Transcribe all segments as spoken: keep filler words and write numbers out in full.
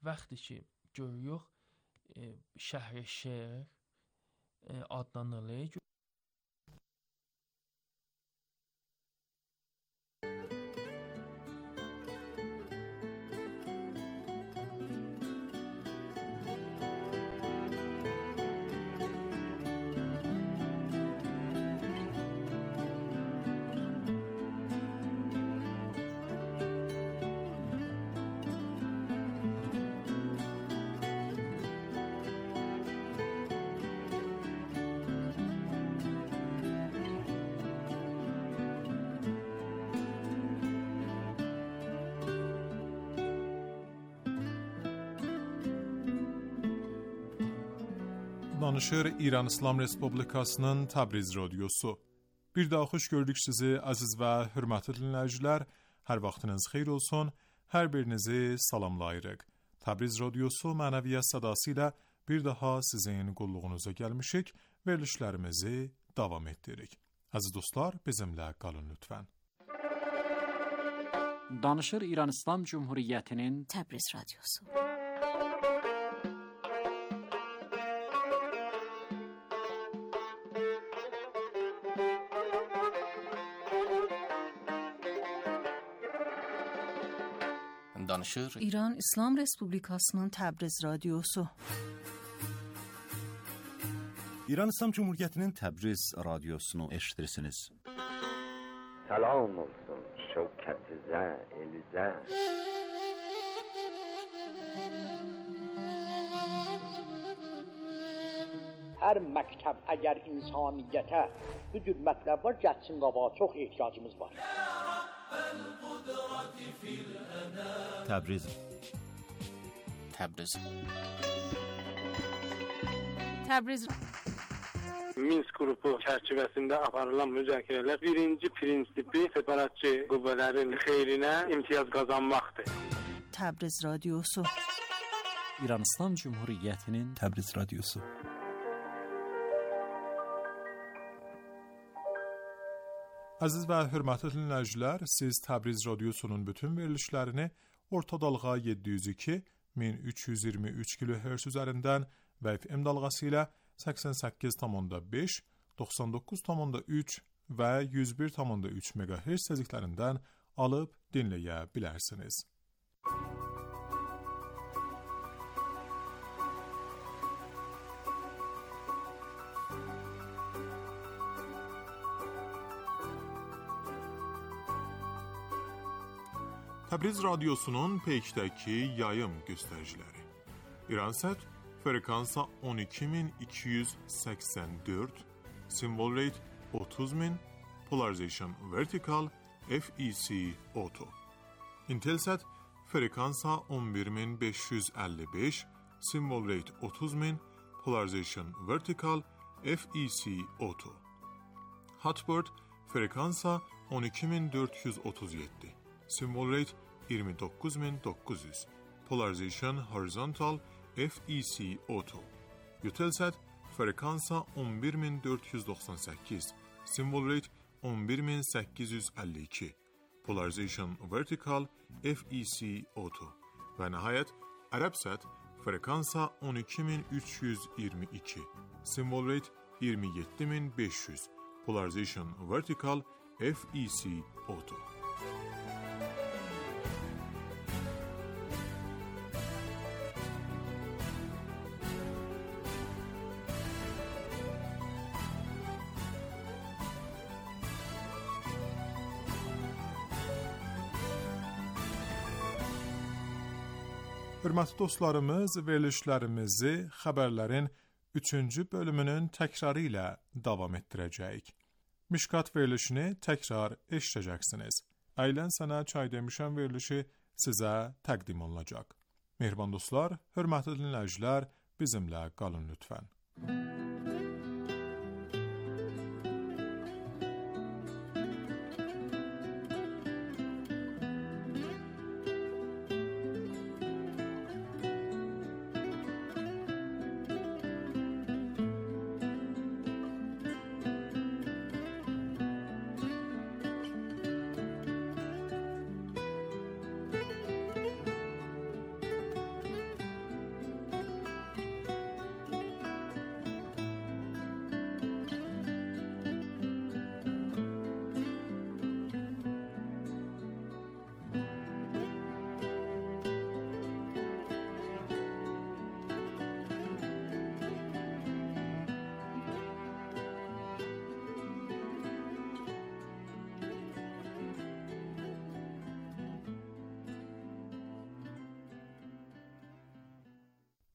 vaxtı ki görürük e, şəhər şeir e, adlanırlar. Danışır İran İslam Respublikasının Təbriz Radiosu. Bir daha xoş gördük sizi aziz və hörmətli dinləyicilər. Hər vaxtınız xeyir olsun. Hər birinizi salamlayırıq. Təbriz Radiosu mənəviyyat sədası ilə bir daha sizin qulluğunuza gəlmişik. Verilişlərimizi davam etdiririk. Aziz dostlar, bizimlə qalın lütfən. Danışır İran İslam Cumhuriyyətinin Təbriz Radiosu. Danışır İran İslam Respublikasının Təbriz Radiosu. İran İslam Cumhuriyyətinin Təbriz Radiosunu eşitirsiniz. Salam olsun şevketizə, elizə. Hər məktəb əgər insaniyyətə bu cür mətləb var, gəlsin qabağa, çox ehtiyacımız var. Təbriz Təbriz Təbriz Minsk qrupu çərçivəsində aparılan müzakirələr birinci prinsipi separatçı qüvvələrin xeyrinə imtiyaz qazanmaqdır. Təbriz Radiosu. İran İslam Cumhuriyyətinin Təbriz Radiosu. Aziz və hörmətli dinləyicilər, siz Təbriz Radiosunun bütün verilişlərini orta dalğa yeddi yüz iki min üç yüz iyirmi üç kilohertz üzərindən və F M dalğası ilə səksən səkkiz tam beş, doxsan doqquz tam üç və yüz bir tam üç megahertz tezliklərindən alıb dinləyə bilərsiniz. Təbriz Radiosunun peykdəki yayım göstəriciləri. İransat frekansa on iki min iki yüz səksən dörd, symbol rate otuz min, polarization vertical, F E C auto. Intelsat frekansa on bir min beş yüz əlli beş, symbol rate otuz min, polarization vertical, F E C auto. Hotbird frekansa on iki min dörd yüz otuz yeddi. Symbol rate iyirmi doqquz min doqquz yüz. Polarization horizontal, F E C auto. Eutelsat frekansa on bir min dörd yüz doxsan səkkiz. Symbol rate on bir min səkkiz yüz əlli iki. Polarization vertical, F E C auto. Və nəhayət Arabsat frekansa on iki min üç yüz iyirmi iki. Symbol rate iyirmi yeddi min beş yüz. Polarization vertical, F E C auto. Hörmətli dostlarımız, verilişlərimizi xəbərlərin üçüncü bölümünün təkrarı ilə davam etdirəcəyik. Mişkat verilişini təkrar eşidəcəksiniz. Əylən sənə çay demişəm verilişi sizə təqdim olunacaq. Mehriban dostlar, hörmətli dinləyicilər, bizimlə qalın lütfən.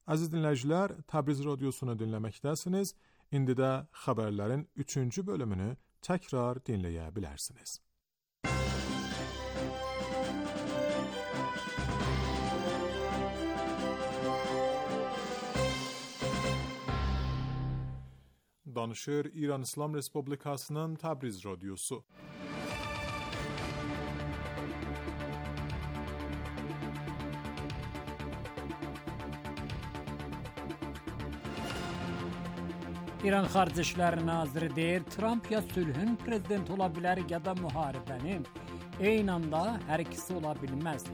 Aziz dinləyicilər, Təbriz Radiosunu dinləməkdəsiniz. İndi də xəbərlərin üçüncü bölümünü təkrar dinləyə bilərsiniz. Danışır İran İslam Respublikasının Təbriz Radiosu. İran Xarici İşlər Naziri deyir, Trump ya sülhün prezidenti ola bilər ya da müharibənin. Eyni anda hər ikisi ola bilməz.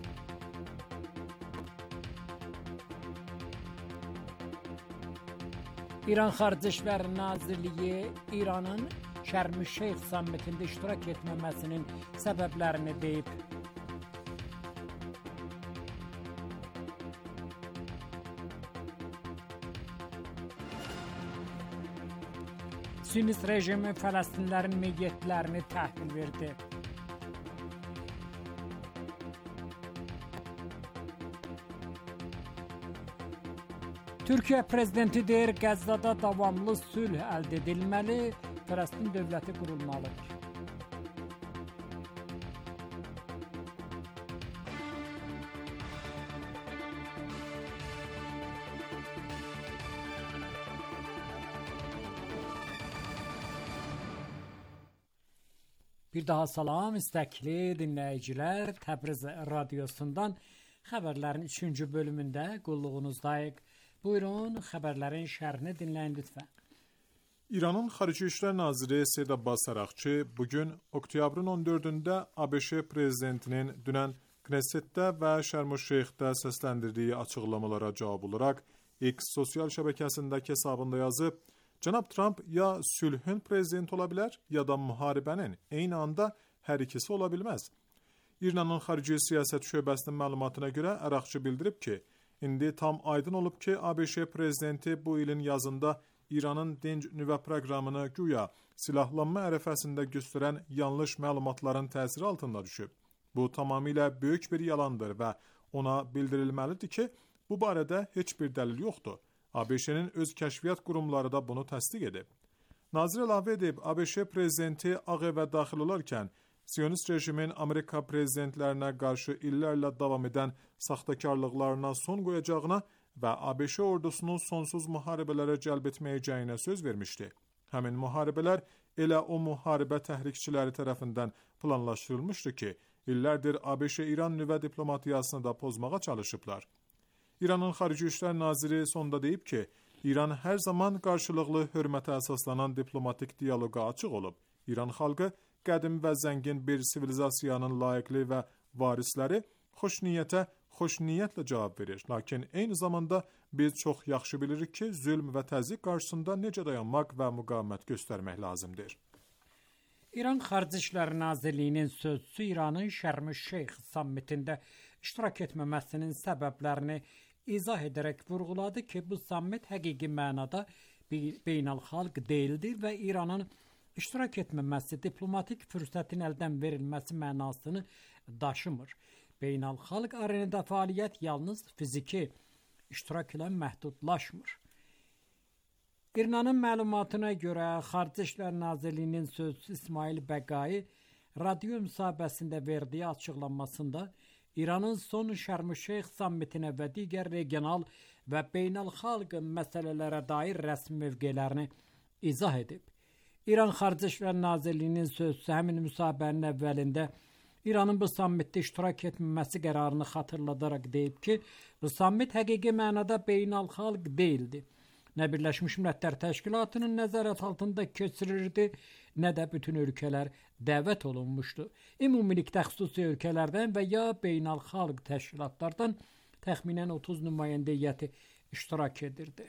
İran Xarici İşlər Nazirliyi İranın Şərm-ül-Şeyx sammitində iştirak etməməsinin səbəblərini deyib. Siyonist rejimi Fələstinlərin meyyətlərini təhvil verdi. Türkiyə prezidenti deyir, Qəzzada davamlı sülh əldə edilməli, Fələstin dövləti qurulmalıdır. Bir daha salam istəkli dinləyicilər, Təbriz Radiosundan xəbərlərin üçüncü bölümündə qulluğunuzdayıq. Buyurun, xəbərlərin şərhini dinləyin lütfən. İranın Xarici İşlər Naziri Seyid Abbas Araqçı bugün oktyabrın on dördündə ABŞ prezidentinin dünən Knessetdə və Şərm-ül-Şeyxdə səsləndirdiyi açıqlamalara cavab olaraq X sosial şəbəkəsindəki hesabında yazıb, Cənab Trump ya sülhün prezidenti ola bilər, ya da müharibənin, eyni anda hər ikisi ola bilməz. İranın Xarici Siyasət Şöbəsinin məlumatına görə Araqçı bildirib ki, İndi tam aydın olub ki, ABŞ prezidenti bu ilin yazında İranın dinc nüvə proqramını güya silahlanma ərəfəsində göstərən yanlış məlumatların təsiri altında düşüb. Bu tamamilə böyük bir yalandır və ona bildirilməlidir ki, bu barədə heç bir dəlil yoxdur. ABŞ-nin öz kəşfiyyat qurumları da bunu təsdiq edib. Nazir əlavə edib, ABŞ prezidenti Ağ Evə daxil olarkən Siyonist rejimin Amerika prezidentlərinə qarşı illərlə davam edən saxtakarlıqlarına son qoyacağına və ABŞ ordusunun sonsuz müharibələrə cəlb etməyəcəyinə söz vermişdi. Həmin müharibələr elə o müharibə təhrikçiləri tərəfindən planlaşdırılmışdı ki, illərdir ABŞ-İran nüvə diplomatiyasını da pozmağa çalışıblar. İranın Xarici İşlər Naziri sonda deyib ki, İran hər zaman qarşılıqlı hörmətə əsaslanan diplomatik diyaloqa açıq olub. İran xalqı qədim və zəngin bir sivilizasiyanın layiqli və varisləri xoş niyyətə xoş niyyətlə cavab verir. Lakin eyni zamanda biz çox yaxşı bilirik ki, zülm və təzyiq qarşısında necə dayanmaq və müqavimət göstərmək lazımdır. İran Xarici İşlər Nazirliyinin sözçüsü İranın Şərm-ül-Şeyx sammitində iştirak etməməsinin səbəblərini izah edərək vurğuladı ki, bu sammit həqiqi mənada beynəlxalq deyildir və İranın iştirak etməməsi diplomatik fürsətin əldən verilməsi mənasını daşımır. Beynəlxalq arenada fəaliyyət yalnız fiziki iştirak ilə məhdudlaşmır. İranın məlumatına görə Xarici İşlər Nazirliyinin sözçüsü İsmail Bəqai radio müsahibəsində verdiyi açıqlanmasında İranın son Şərm-ül-Şeyx sammitinə və digər regional və beynəlxalq məsələlərə dair rəsmi mövqelərini izah edib. İran Xarici İşlər Nazirliyinin sözçüsü həmin müsahibənin əvvəlində İranın bu sammitdə iştirak etməməsi qərarını xatırladaraq deyib ki, bu sammit həqiqi mənada beynəlxalq deyildi. Nə Birləşmiş Millətlər Təşkilatının nəzarət altında keçirirdi, nə də bütün ölkələr dəvət olunmuşdu. Ümumilikdə xüsusi ölkələrdən və ya beynəlxalq təşkilatlardan təxminən otuz nümayəndə heyəti iştirak edirdi.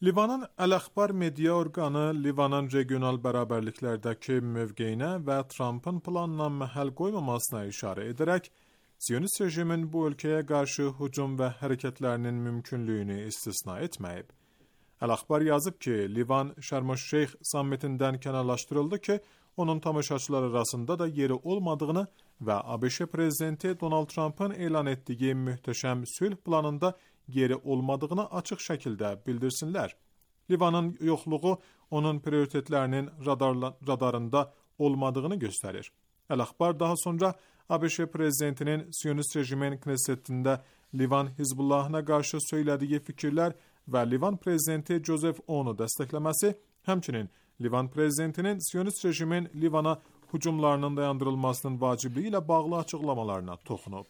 Livanın Əl-Əxbar media orqanı Livanın regional bərabərliklərdəki mövqeyinə və Trumpın planına məhəl qoymamasına işarə edərək, Siyonist rejimin bu ölkəyə qarşı hücum və hərəkətlərinin mümkünlüyünü istisna etməyib. Əl-Əxbar yazıb ki, Livan Şərm-ül-Şeyx sammitindən kənarlaşdırıldı ki, onun tamaşaçılar arasında da yeri olmadığını və ABŞ prezidenti Donald Trump'ın elan etdiyi möhtəşəm sülh planında yeri olmadığını açıq şəkildə bildirsinlər. Livanın yoxluğu onun prioritetlərinin radarla, radarında olmadığını göstərir. Əl-Axbar daha sonra ABŞ prezidentinin Siyonist rejimin Knessetində Livan Hizbullahına qarşı söylədiyi fikirlər və Livan prezidenti Joseph Onu dəstəkləməsi, həmçinin Livan prezidentinin Siyonist rejimin Livana hücumlarının dayandırılmasının vacibliyi ilə bağlı açıqlamalarına toxunub.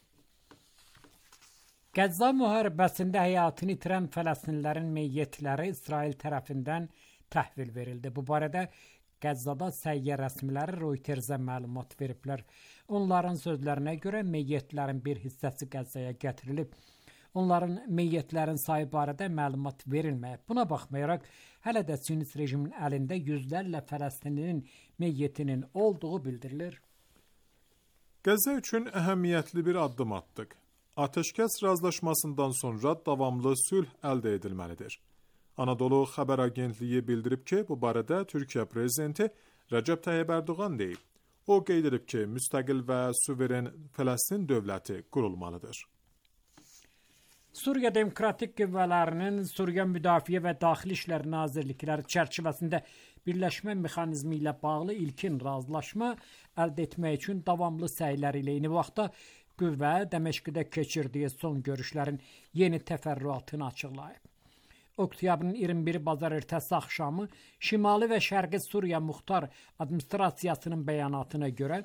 Qəzza müharibəsində həyatını itirən Fələstinlilərin meyyitləri İsrail tərəfindən təhvil verildi. Bu barədə Qəzzada səhiyyə rəsmiləri Reutersə məlumat veriblər. Onların sözlərinə görə meyyitlərin bir hissəsi Qəzzaya gətirilib. Onların meyyitlərin sayı barədə məlumat verilməyib. Buna baxmayaraq, hələ də Siyonist rejimin əlində yüzlərlə Fələstinlinin meyyitinin olduğu bildirilir. Qəzza üçün əhəmiyyətli bir addım atdıq. Ateşkəs razılaşmasından sonra davamlı sülh əldə edilməlidir. Anadolu Xəbər Agentliyi bildirib ki, bu barədə Türkiyə prezidenti Rəcəb Tayyib Ərdoğan deyib. O qeyd edib ki, müstəqil və suveren Fələstin dövləti qurulmalıdır. Suriya Demokratik Qüvvələrinin Suriya Müdafiə və Daxili İşlər Nazirlikləri çərçivəsində birləşmə mexanizmi ilə bağlı ilkin razılaşma əldə etmək üçün davamlı səyləri ilə eyni vaxtda qüvvə Dəməşqdə keçirdiyi son görüşlərin yeni təfərrüatını açıqlayıb. Oktyabrın iyirmi biri bazar ertəsi axşamı Şimali və Şərqi Suriya Muxtar Administrasiyasının bəyanatına görə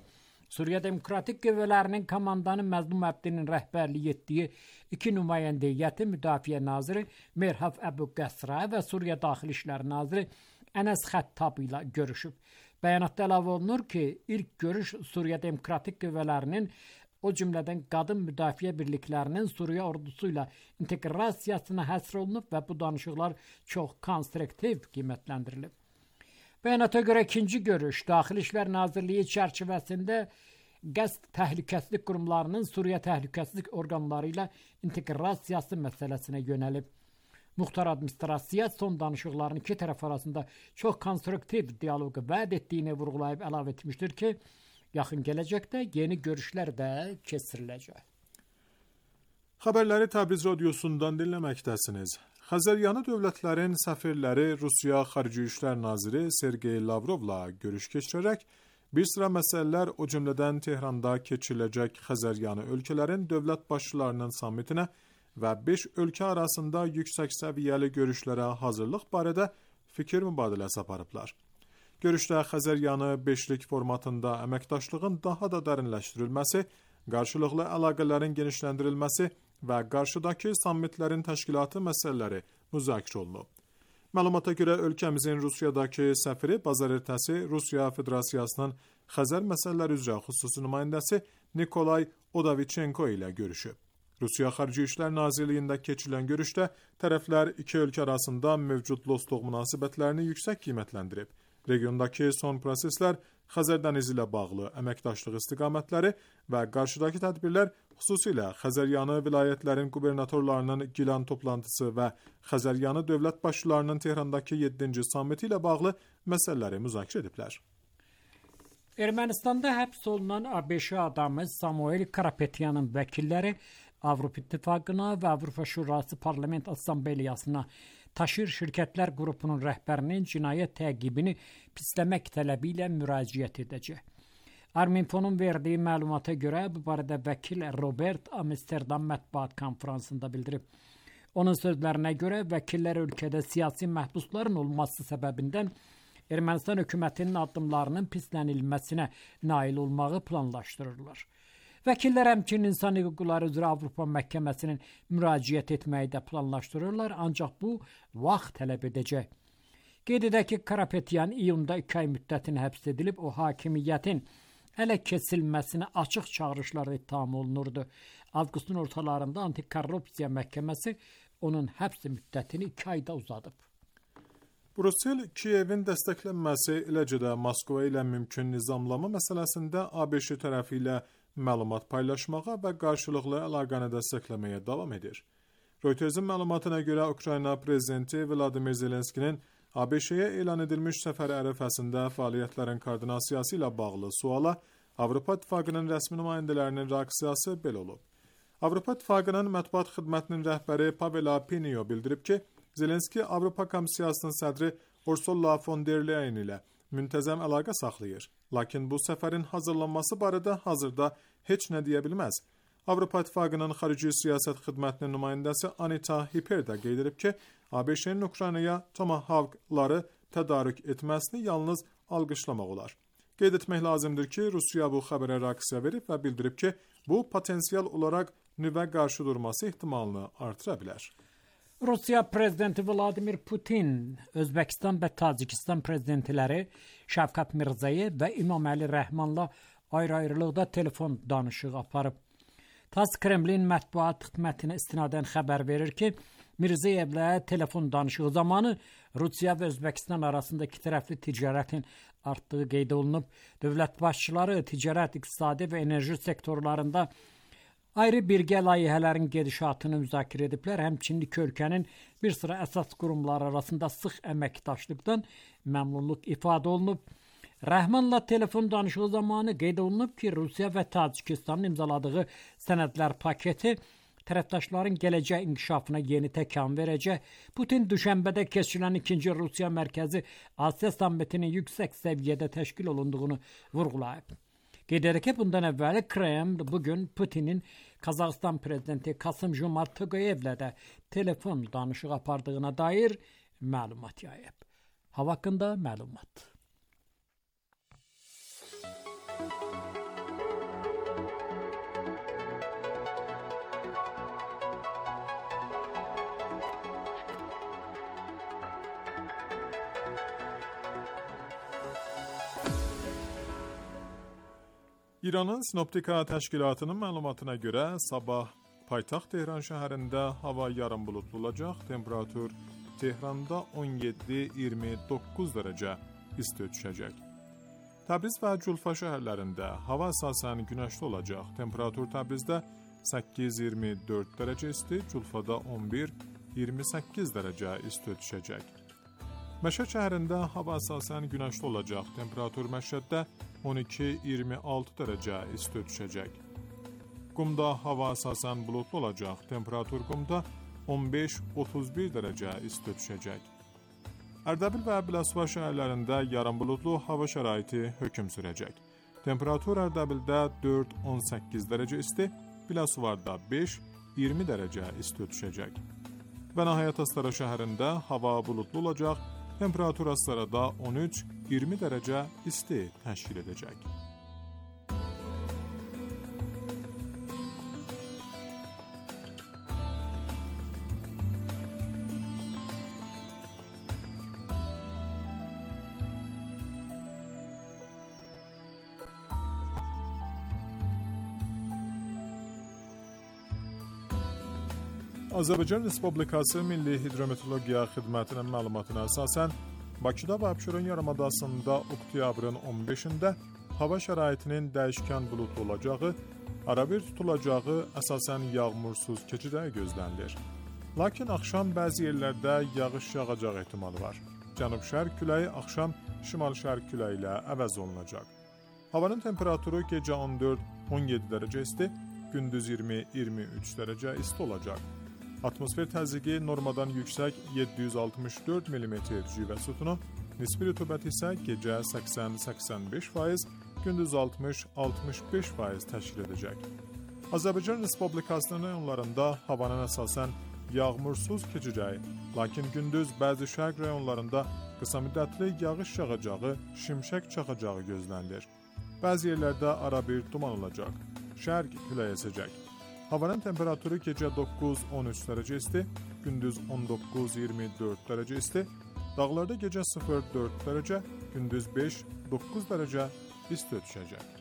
Suriya Demokratik Qüvvələrinin komandanı Məzlum Əbdinin rəhbərlik etdiyi iki nümayəndə heyəti Müdafiə naziri Merhab Əbu Qəsra və Suriya Daxili İşlər naziri Ənəs Xəttab ilə görüşüb. Bəyanatda əlavə olunur ki, ilk görüş Suriya Demokratik Qüvvələrinin, o cümlədən qadın müdafiə birliklərinin Suriya ordusu ilə inteqrasiyasına həsr olunub və bu danışıqlar çox konstruktiv qiymətləndirilib. Bəyanata görə ikinci görüş Daxili İşlər Nazirliyi çərçivəsində qəsd təhlükəsizlik qurumlarının Suriya təhlükəsizlik orqanları ilə inteqrasiyası məsələsinə yönəlib. Muxtar Administrasiya son danışıqların iki tərəf arasında çox konstruktiv dialoqu vəd etdiyini vurğulayıb əlavə etmişdir ki, yaxın gələcəkdə yeni görüşlər də keçiriləcək. Xəbərləri Təbriz radiosundan dinləməkdəsiniz. Xəzəryanı dövlətlərin səfirləri Rusiya Xarici İşlər Naziri Sergey Lavrovla görüş keçirərək bir sıra məsələlər, o cümlədən Tehranda keçiriləcək Xəzəryanı ölkələrin dövlət başçılarının sammitinə və beş ölkə arasında yüksək səviyyəli görüşlərə hazırlıq barədə fikir mübadiləsi aparıblar. Görüşdə Xəzəryanı beşlik formatında əməkdaşlığın daha da dərinləşdirilməsi, qarşılıqlı əlaqələrin genişləndirilməsi və qarşıdakı sammitlərin təşkilatı məsələləri müzakirə olunub. Məlumata görə ölkəmizin Rusiyadakı səfiri bazar ertəsi Rusiya Federasiyasının Xəzər məsələləri üzrə xüsusi nümayəndəsi Nikolay Odaviçenko ilə görüşüb. Rusiya Xarici İşlər Nazirliyində keçirilən görüşdə tərəflər iki ölkə arasında mövcud dostluq münasibətlərini yüksək qiymətləndirib. Regiondakı son proseslər, Xəzər dənizi ilə bağlı əməkdaşlıq istiqamətləri və qarşıdakı tədbirlər, xüsusilə Xəzəryanı vilayətlərin qubernatorlarının Gilan toplantısı və Xəzəryanı dövlət başçılarının Tehrandakı yeddinci sammiti ilə bağlı məsələləri müzakirə ediblər. Ermənistanda həbs olunan ABŞ adamı Samuel Karapetyanın vəkilləri Avropa İttifaqına və Avropa Şurası Parlament Assambleyasına Taşır Şirkətlər qrupunun rəhbərinin cinayət təqibini pisləmək tələbi ilə müraciət edəcək. Arminfonun verdiyi məlumata görə bu barədə vəkil Robert Amsterdam mətbuat konfransında bildirib. Onun sözlərinə görə vəkillər ölkədə siyasi məhbusların olması səbəbindən Ermənistan hökumətinin addımlarının pislənilməsinə nail olmağı planlaşdırırlar. Vəkillər həmçinin insan hüquqları üzrə Avropa məhkəməsinin müraciət etməyi də planlaşdırırlar, ancaq bu vaxt tələb edəcək. Qeyd edək ki, Karapetyan iyunda iki ay müddətinə həbs edilib, o hakimiyyətin ələ keçirilməsinə açıq çağırışlarda ittiham olunurdu. Avqustun ortalarında antikorrupsiya məhkəməsi onun həbs müddətini iki ayda uzadıb. Brüssel, Kiyevin dəstəklənməsi, eləcə də Moskva ilə mümkün nizamlama məsələsində ABŞ tərəfi ilə məlumat paylaşmağa və qarşılıqlı əlaqəni dəstəkləməyə davam edir. Reutersin məlumatına görə Ukrayna prezidenti Vladimir Zelenskinin ABŞ-yə elan edilmiş səfər ərəfəsində fəaliyyətlərin koordinasiyası ilə bağlı suala Avropa İttifaqının rəsmi nümayəndələrinin reaksiyası belə olub. Avropa İttifaqının mətbuat xidmətinin rəhbəri Pavel Pinio bildirib ki, Zelenski Avropa Komissiyasının sədri Ursula von der Leyen ilə müntəzəm əlaqə saxlayır. Lakin bu səfərin hazırlanması barədə hazırda heç nə deyə bilməz. Avropa İttifaqının xarici siyasət xidmətinin nümayəndəsi Anita Hipper də qeyd edib ki, ABŞ-nin Ukraynaya Tomahawk-ları tədarük etməsini yalnız alqışlamaq olar. Qeyd etmək lazımdır ki, Rusiya bu xəbərə reaksiya verib və bildirib ki, bu potensial olaraq nüvə qarşı durması ehtimalını artıra bilər. Rusiya prezidenti Vladimir Putin, Özbəkistan və Tacikistan prezidentləri Şəfqət Mirziyoyev və İmaməli Rəhmanla ayrı-ayrılıqda telefon danışığı aparıb. TASS Kremlin mətbuat xidmətinə istinadən xəbər verir ki, Mirziyevlə telefon danışığı zamanı Rusiya və Özbəkistan arasında iki tərəfli ticarətin artdığı qeyd olunub. Dövlət başçıları ticarət, iqtisadi və enerji sektorlarında ayrı birgə layihələrin gedişatını müzakirə ediblər. Həmçinin iki ölkənin bir sıra əsas qurumlar arasında sıx əməkdaşlıqdan məmnunluq ifadə olunub. Rəhmanla telefon danışığı zamanı qeyd olunub ki, Rusiya və Tacikistanın imzaladığı sənədlər paketi tərəfdaşların gələcək inkişafına yeni təkan verəcək. Putin düşənbədə keçirilən ikinci Rusiya mərkəzi Asiya sammitinin yüksək səviyyədə təşkil olunduğunu vurğulayıb. Qeyd edir ki, bundan əvvəl Kreml bugün Putinin Qazaxıstan prezidenti Kasım-Jomart Toqayevlə də telefon danışığı apardığına dair məlumat yayıb. Hava haqqında məlumat. İranın Sinoptika Təşkilatının məlumatına görə sabah paytaxt Tehran şəhərində hava yarım buludlu olacaq, temperatur Tehranda on yeddi iyirmi doqquz dərəcə isti düşəcək. Təbriz və Culfa şəhərlərində hava əsasən günəşli olacaq, temperatur Təbrizdə səkkiz iyirmi dörd dərəcə isti, Culfada on bir iyirmi səkkiz dərəcə isti düşəcək. Məşhəd şəhərində hava əsasən günəşli olacaq, temperatur Məşhəddə on iki iyirmi altı dərəcə isti düşəcək. Qumda hava əsasən buludlu olacaq, temperatur Qumda on beş otuz bir dərəcə isti düşəcək. Ərdəbil və Biləsuvar şəhərlərində yarım buludlu hava şəraiti hökm sürəcək. Temperatur Ərdəbildə dörd on səkkiz dərəcə isti, Biləsuvarda beş iyirmi dərəcə isti düşəcək. Və nəhayət Astara şəhərində hava buludlu olacaq, temperatur Astarada on üç iyirmi dərəcə isti təşkil edəcək. Azərbaycan Respublikası Milli Hidrometeorologiya Xidmətinin məlumatına əsasən, Bakıda və Abşeron yarımadasında oktyabrın on beşində hava şəraitinin dəyişkən buludlu olacağı, arabir tutulacağı, əsasən yağmursuz keçəcəyi gözlənilir. Lakin axşam bəzi yerlərdə yağış yağacaq ehtimalı var. Cənub-şərq küləyi axşam şimal-şərq küləyi ilə əvəz olunacaq. Havanın temperaturu gecə on dörd on yeddi dərəcə isti, gündüz iyirmi iyirmi üç dərəcə isti olacaq. Atmosfer təzyiqi normadan yüksək yeddi yüz altmış dörd millimetr civə sütunu, nisbi rütubət isə gecə səksən səksən beş faiz, gündüz altmış altmış beş faiz təşkil edəcək. Azərbaycan Respublikasının rayonlarında havanın əsasən yağmursuz keçəcəyi, lakin gündüz bəzi şərq rayonlarında qısa müddətli yağış yağacağı, şimşək çaxacağı gözlənilir. Bəzi yerlərdə arabir duman olacaq, şərq küləyi əsəcək. Havanın temperaturu gecə doqquz on üç dərəcə isti, gündüz on doqquz iyirmi dörd dərəcə isti, dağlarda gecə sıfır dörd dərəcə, gündüz beş doqquz dərəcə isti düşəcək.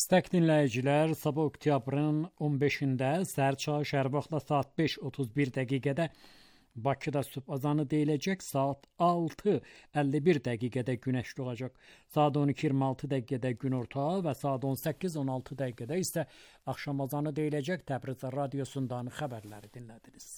İstək dinləyicilər, sabah oktyabrın on beşində səhər çağı şəhər vaxtla saat beş otuz bir dəqiqədə Bakıda sübh azanı deyiləcək, saat altı əlli bir dəqiqədə günəşli olacaq, saat on iki iyirmi altı dəqiqədə günorta və saat on səkkiz on altı dəqiqədə isə axşam azanı deyiləcək. Təbriz radiosundan xəbərləri dinlədiniz.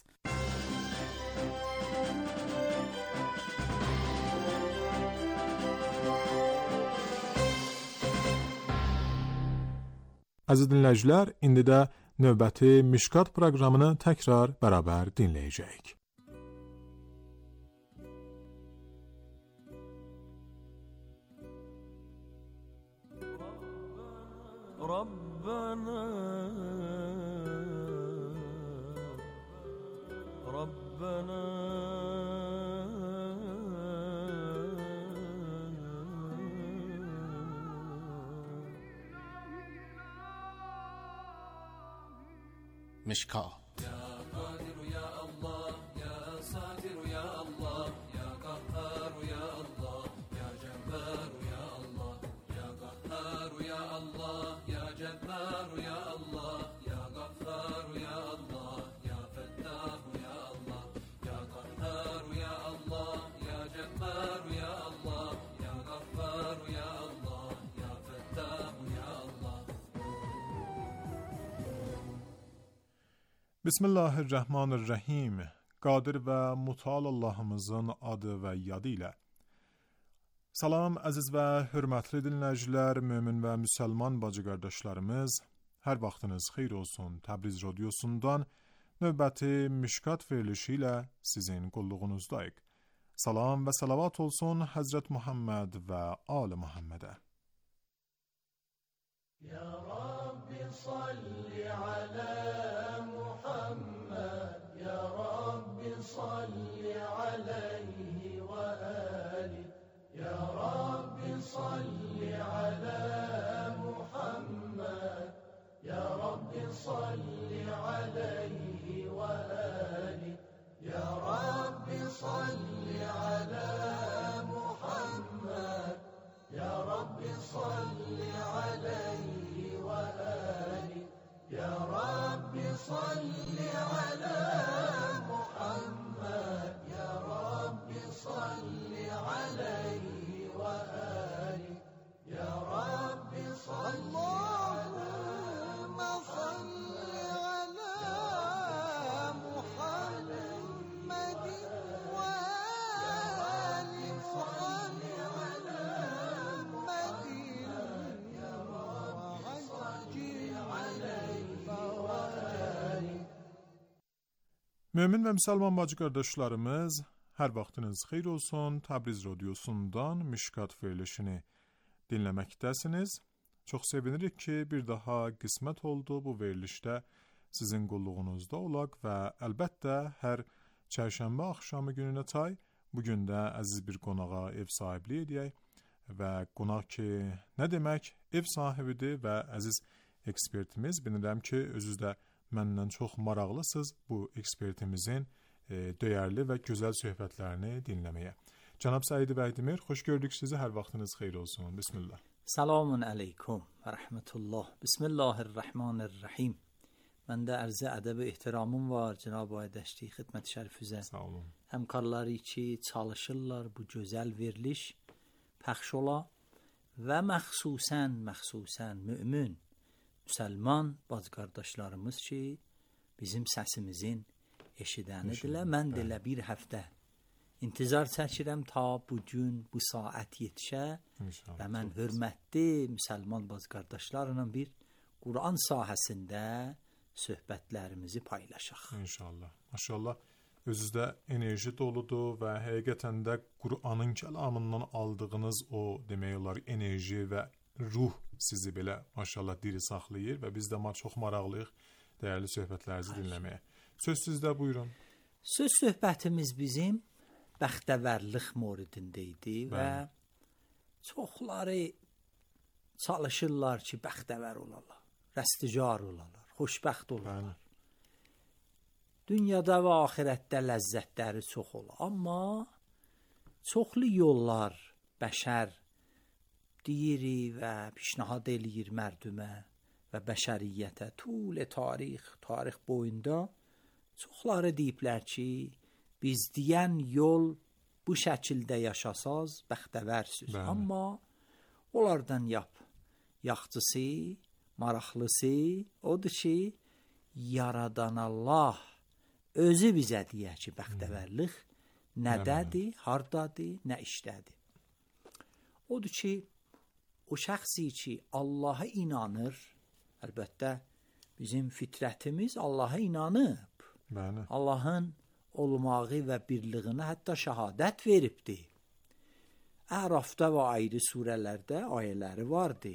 Əziz dinləyicilər, indi də növbəti Mişkat proqramını təkrar bərabər dinləyəcəyik. Rabbana Rabbana مشکات Bismillahirrahmanirrahim. Qadir və Mutal Allahımızın adı və yadı ilə. Salam, əziz və hörmətli dinləyicilər, mömin və müsəlman bacı qardaşlarımız. Hər vaxtınız xeyir olsun. Təbriz radiosundan növbəti Mişkat verilişi ilə sizin qulluğunuzdayıq. Salam və salavat olsun Həzrət Muhammed və Ali Muhammedə. Ya Rabbi salli alə Muhammed, Ya Rabbi salli aleyhi və ali, Ya Rabbi salli alə Muhammed, Ya Rabbi salli aleyhi və ali, Ya Rabbi salli alə Muhammed, Ya Rabbi salli aleyhi və ali, Ya Rabbi salli alə Muhammed, Ya Rabbi salli aleyhi və ali, Ya Rabbi salli Allahümme salli alə Muhammedin və ali salli alə Muhammedin, Ya Rabbi salli aleyhi və ali. Mömin və müsəlman bacı qardaşlarımız, hər vaxtınız xeyir olsun. Təbriz radiosundan Mişkat verilişini dinləməkdəsiniz. Çox sevinirik ki, bir daha qismət oldu bu verilişdə sizin qulluğunuzda olaq və əlbəttə hər çərşənbə axşamı gününə tay bugün də əziz bir qonağa ev sahibliyi edək və qonaq ki, nə demək, ev sahibidir və əziz ekspertimiz. Bilirəm ki, özünüz də məndən çox maraqlısınız bu ekspertimizin e, dəyərli və gözəl söhbətlərini dinləməyə. Cənab Səid Bəhdimir, xoş gördük sizi, hər vaxtınız xeyir olsun. Bismillah. Selamun aleyküm və rəhmətullah. Bismillahirrahmanirrahim. Məndə ərzə ədəb ehtiramım var Cənab Aydaşdi xidmət şərifizə. Sağ olun. Həmkarları ki çalışırlar bu gözəl veriliş pəxş ola və məxsusən, məxsusən mümin, müsəlman bacı qardaşlarımız ki bizim səsimizin eşidənidirlər. Mən də elə bir həftə intizar çəkirəm ta bu gün, bu saat yetişə və mən hörmətli müsəlman bacı qardaşlarla bir Quran sahəsində söhbətlərimizi paylaşaq. İnşallah. Maşallah, özünüzdə enerji doludur və həqiqətən də Quranın kəlamından aldığınız o demək olar enerji və ruh sizi belə maşallah diri saxlayır və biz də çox maraqlıyıq dəyərli söhbətlərinizi dinləməyə. Söz sizdə, buyurun. Söz söhbətimiz bizim bəxtəvərlik mövzusunda idi və çoxları çalışırlar ki, bəxtəvər olarlar, rəsticar olarlar, xoşbəxt olarlar. Dünyada və axirətdə ləzzətləri çox olar. Amma çoxlu yollar bəşər deyir və pişnahad eləyir mərdümə və bəşəriyyətə. Tul tarix, tarix boyunda çoxları deyiblər ki, biz deyən yol bu şəkildə yaşasaz bəxtəvərsiniz. Amma onlardan yap. Yaxçısı, maraqlısı odur ki, yaradan Allah özü bizə deyər ki, bəxtəvərlik nədədir, hardadır, nə işdədir. Odur ki, o şəxsi ki, Allaha inanır Əlbəttə bizim fitrətimiz Allaha inanıb. Bəli. Allahın olmağı və birliyinə hətta şəhadət veribdi. Ərafda və ayrı surələrdə ayələri vardı.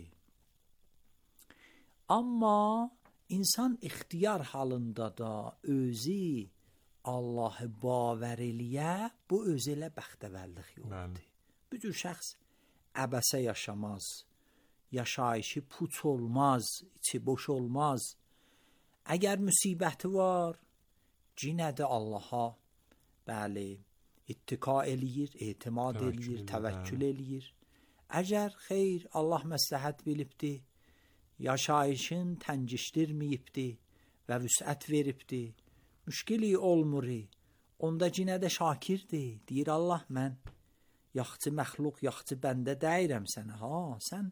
Amma insan ixtiyar halında da özü Allahı bavar eləyə, bu özü ilə bəxtəvərlik yoldur. Bu cür şəxs əbəsə yaşamaz, yaşayışı puç olmaz, içi boş olmaz. Əgər müsibəti var, cinə də Allaha, bəli, ittika eləyir, etimad eləyir, təvəkkül eləyir. Əgər xeyr, Allah məsləhət bilibdi, yaşayışın təngişdirməyibdi və vüsət veribdi, müşkili olmur, onda cinə də şakirdir. Deyir Allah, mən yaxçı məxluq, yaxçı bəndə dəyirəm sənə. Ha, sən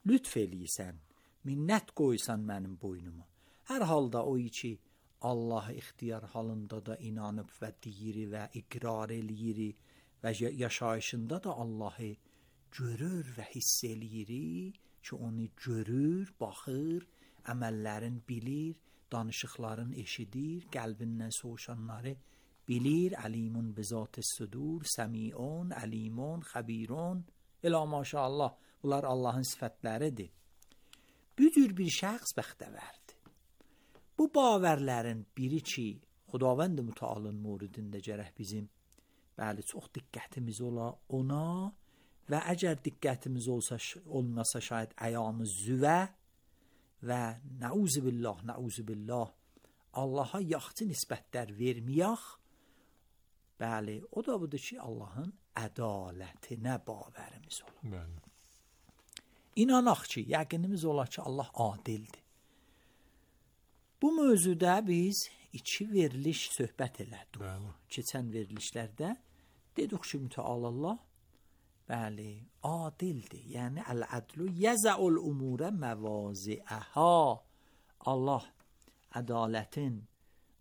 lütf eləyirsən, minnət qoysan mənim boynuma. Hər halda o ki, Allah ixtiyar halında da inanıb və deyir və iqrar eləyir və yaşayışında da Allahı görür və hiss eləyir ki, onu görür, baxır, əməllərin bilir, danışıqların eşidir, qəlbindən soğuşanları bilir. Əlimun bizat sudur, səmiun, əlimun, xəbirun. Elə maşallah, bunlar Allahın sifətləridir. Bu cür bir şəxs bəxtəvərdir. Bu bavərlərin biri ki, Xudavənd Mütəalın muridində gərək bizim bəli çox diqqətimiz ola ona və əgər diqqətimiz olsa, olmasa şayad əyamız züvə və nəuzu billah, nəuzu billah Allaha yaxçı nisbətlər verməyək. Bəli, o da budur ki, Allahın ədalətinə bavərimiz ola. Bəli. İnanaq ki, yəqinimiz ola ki, Allah adildir. Bu mövzuda biz iki veriliş söhbət elədik. Bəli. Keçən verilişlərdə dedik ki, Mütəal Allah, bəli, adildir. Yəni, əl-ədlu yəzəul umurə məvaziəhə. Allah ədalətin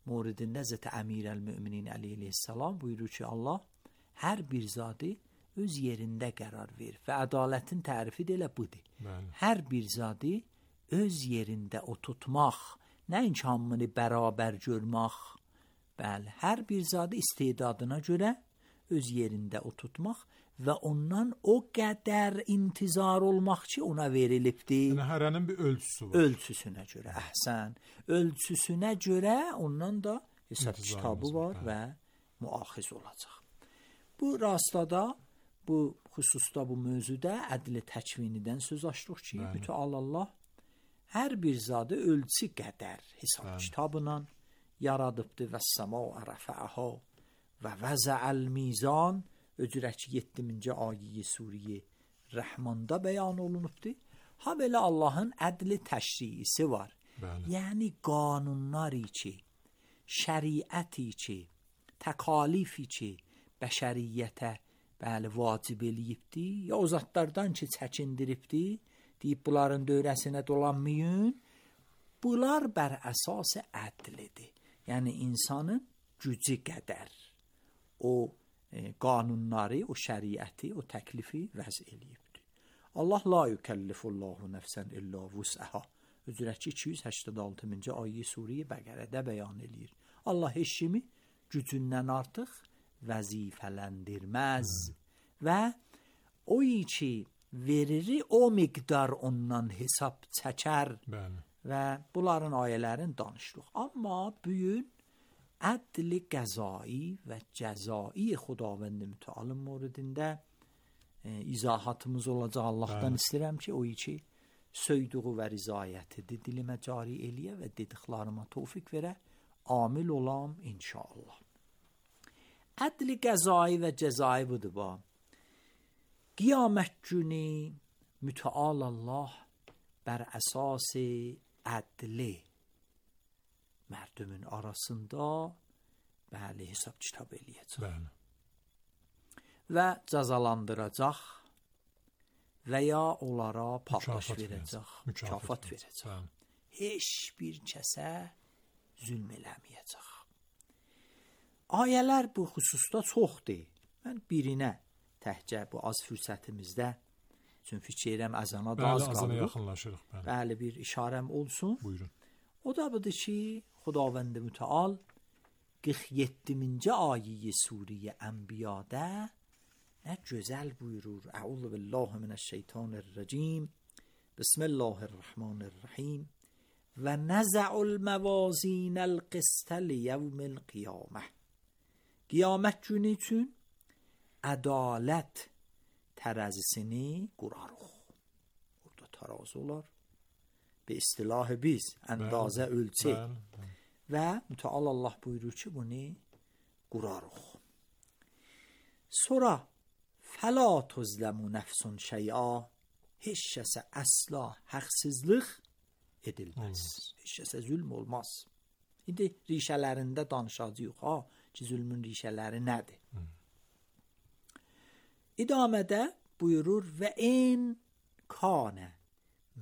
muridində Həzrəti Əmirəl-Möminin əleyhissalam buyurur ki, Allah hər bir zadı öz yerində qərar verir. Və ədalətin tərifi də elə budur. Bəli. Hər bir zadı öz yerində oturtmaq, nəinki hamını bərabər görmək. Bəli, hər bir zadı istedadına görə öz yerində oturtmaq və ondan o qədər intizar olmaq ki, ona verilibdir. Yəni, hərənin bir ölçüsü var. Ölçüsünə görə, əhsən. Ölçüsünə görə ondan da hesab kitabı var və müaxiz olacaq. Bu rastada, bu xüsusda, bu mövzuda ədl-i təkvinidən söz açdıq ki, Mütəal Allah hər bir zadı ölçü qədər hesab Bəli. Kitabına yaradıbdır və səma ərəfəəhə və vəzəəl mizan öcürək ki, yeddiminci ayə Suriyə Rəhmanda bəyan olunubdur. Ha belə Allahın ədli təşriisi var. Bəli. Yəni qanunlar ki, şəriət ki, təkalif ki, bəşəriyyətə bəli vacib eləyibdir, ya o zatlardan ki, çəkindiribdir, deyib bunların dövrəsinə dolanmayın, bunlar bər əsas ədlidir. Yəni insanın gücü qədər o e, qanunları, o şəriəti, o təklifi vəz eləyibdir. Allah la yükellifullahu nəfsən illa vus'əhə. Üzrək ki, iki yüz səksən altıncı ayə Suriyə Bəqərədə bəyan eləyir. Allah heç kimi gücündən artıq vəzifələndirməz və o ki veriri o miqdar ondan hesab çəkər. Bəli. Və bunların ayələrin danışdıq. Amma bugün ədl-i qəzai və cəzai Xudavənd Mütəalın muridində e, izahatımız olacaq. Allahdan Bəli. İstəyirəm ki, o ki söydüğü və rizayətidir, dilimə cari eləyə və dediklarıma tövfiq verə, amil olam inşallah. Ədl-i qəzai və cəzai budur ba. Qiyamət günü Mütəal Allah bər əsas ədli mərdümün arasında bəli hesab kitab eləyəcək. Bəli. Və cəzalandıracaq və ya onlara paylaş verəcək, mükafat verəcək. Bəli. Heç bir kəsə zülm eləməyəcək. Ayələr bu xüsusda çoxdur. Mən birinə təhcə bu az fürsətimizdə Çünki fikirəm əzana da bəli, az qalır. Bəli, azana yaxınlaşırıq. Bəli. Bəli, bir işarəm olsun. Buyurun. O da budur ki, Xudavənd Mütəal qırx yeddinci ayə Suriyə Ənbiyada nə gözəl buyurur. Əuzu billahi minəşşeytanirracim. Bismillahirrahmanirrahim. Və nəzə'ul məvazinəl qistə liyevmil qiyamə. Qiyamət günü üçün ədalət tərəzisini qurarıq. Orada tərazi olar. Be istilah biz əndazə ölçək. Və Mütəal Allah buyurur ki, bunu qurarıq. Sonra fəla tuzləmu nəfsun şey'a, heç kəsə əsla haqsızlıq edilməz. Heç kəsə zülm olmaz. İndi rişələrində danışacağıq ha, ki zülmün rişələri nədir? Hı. İdamədə buyurur və in kanə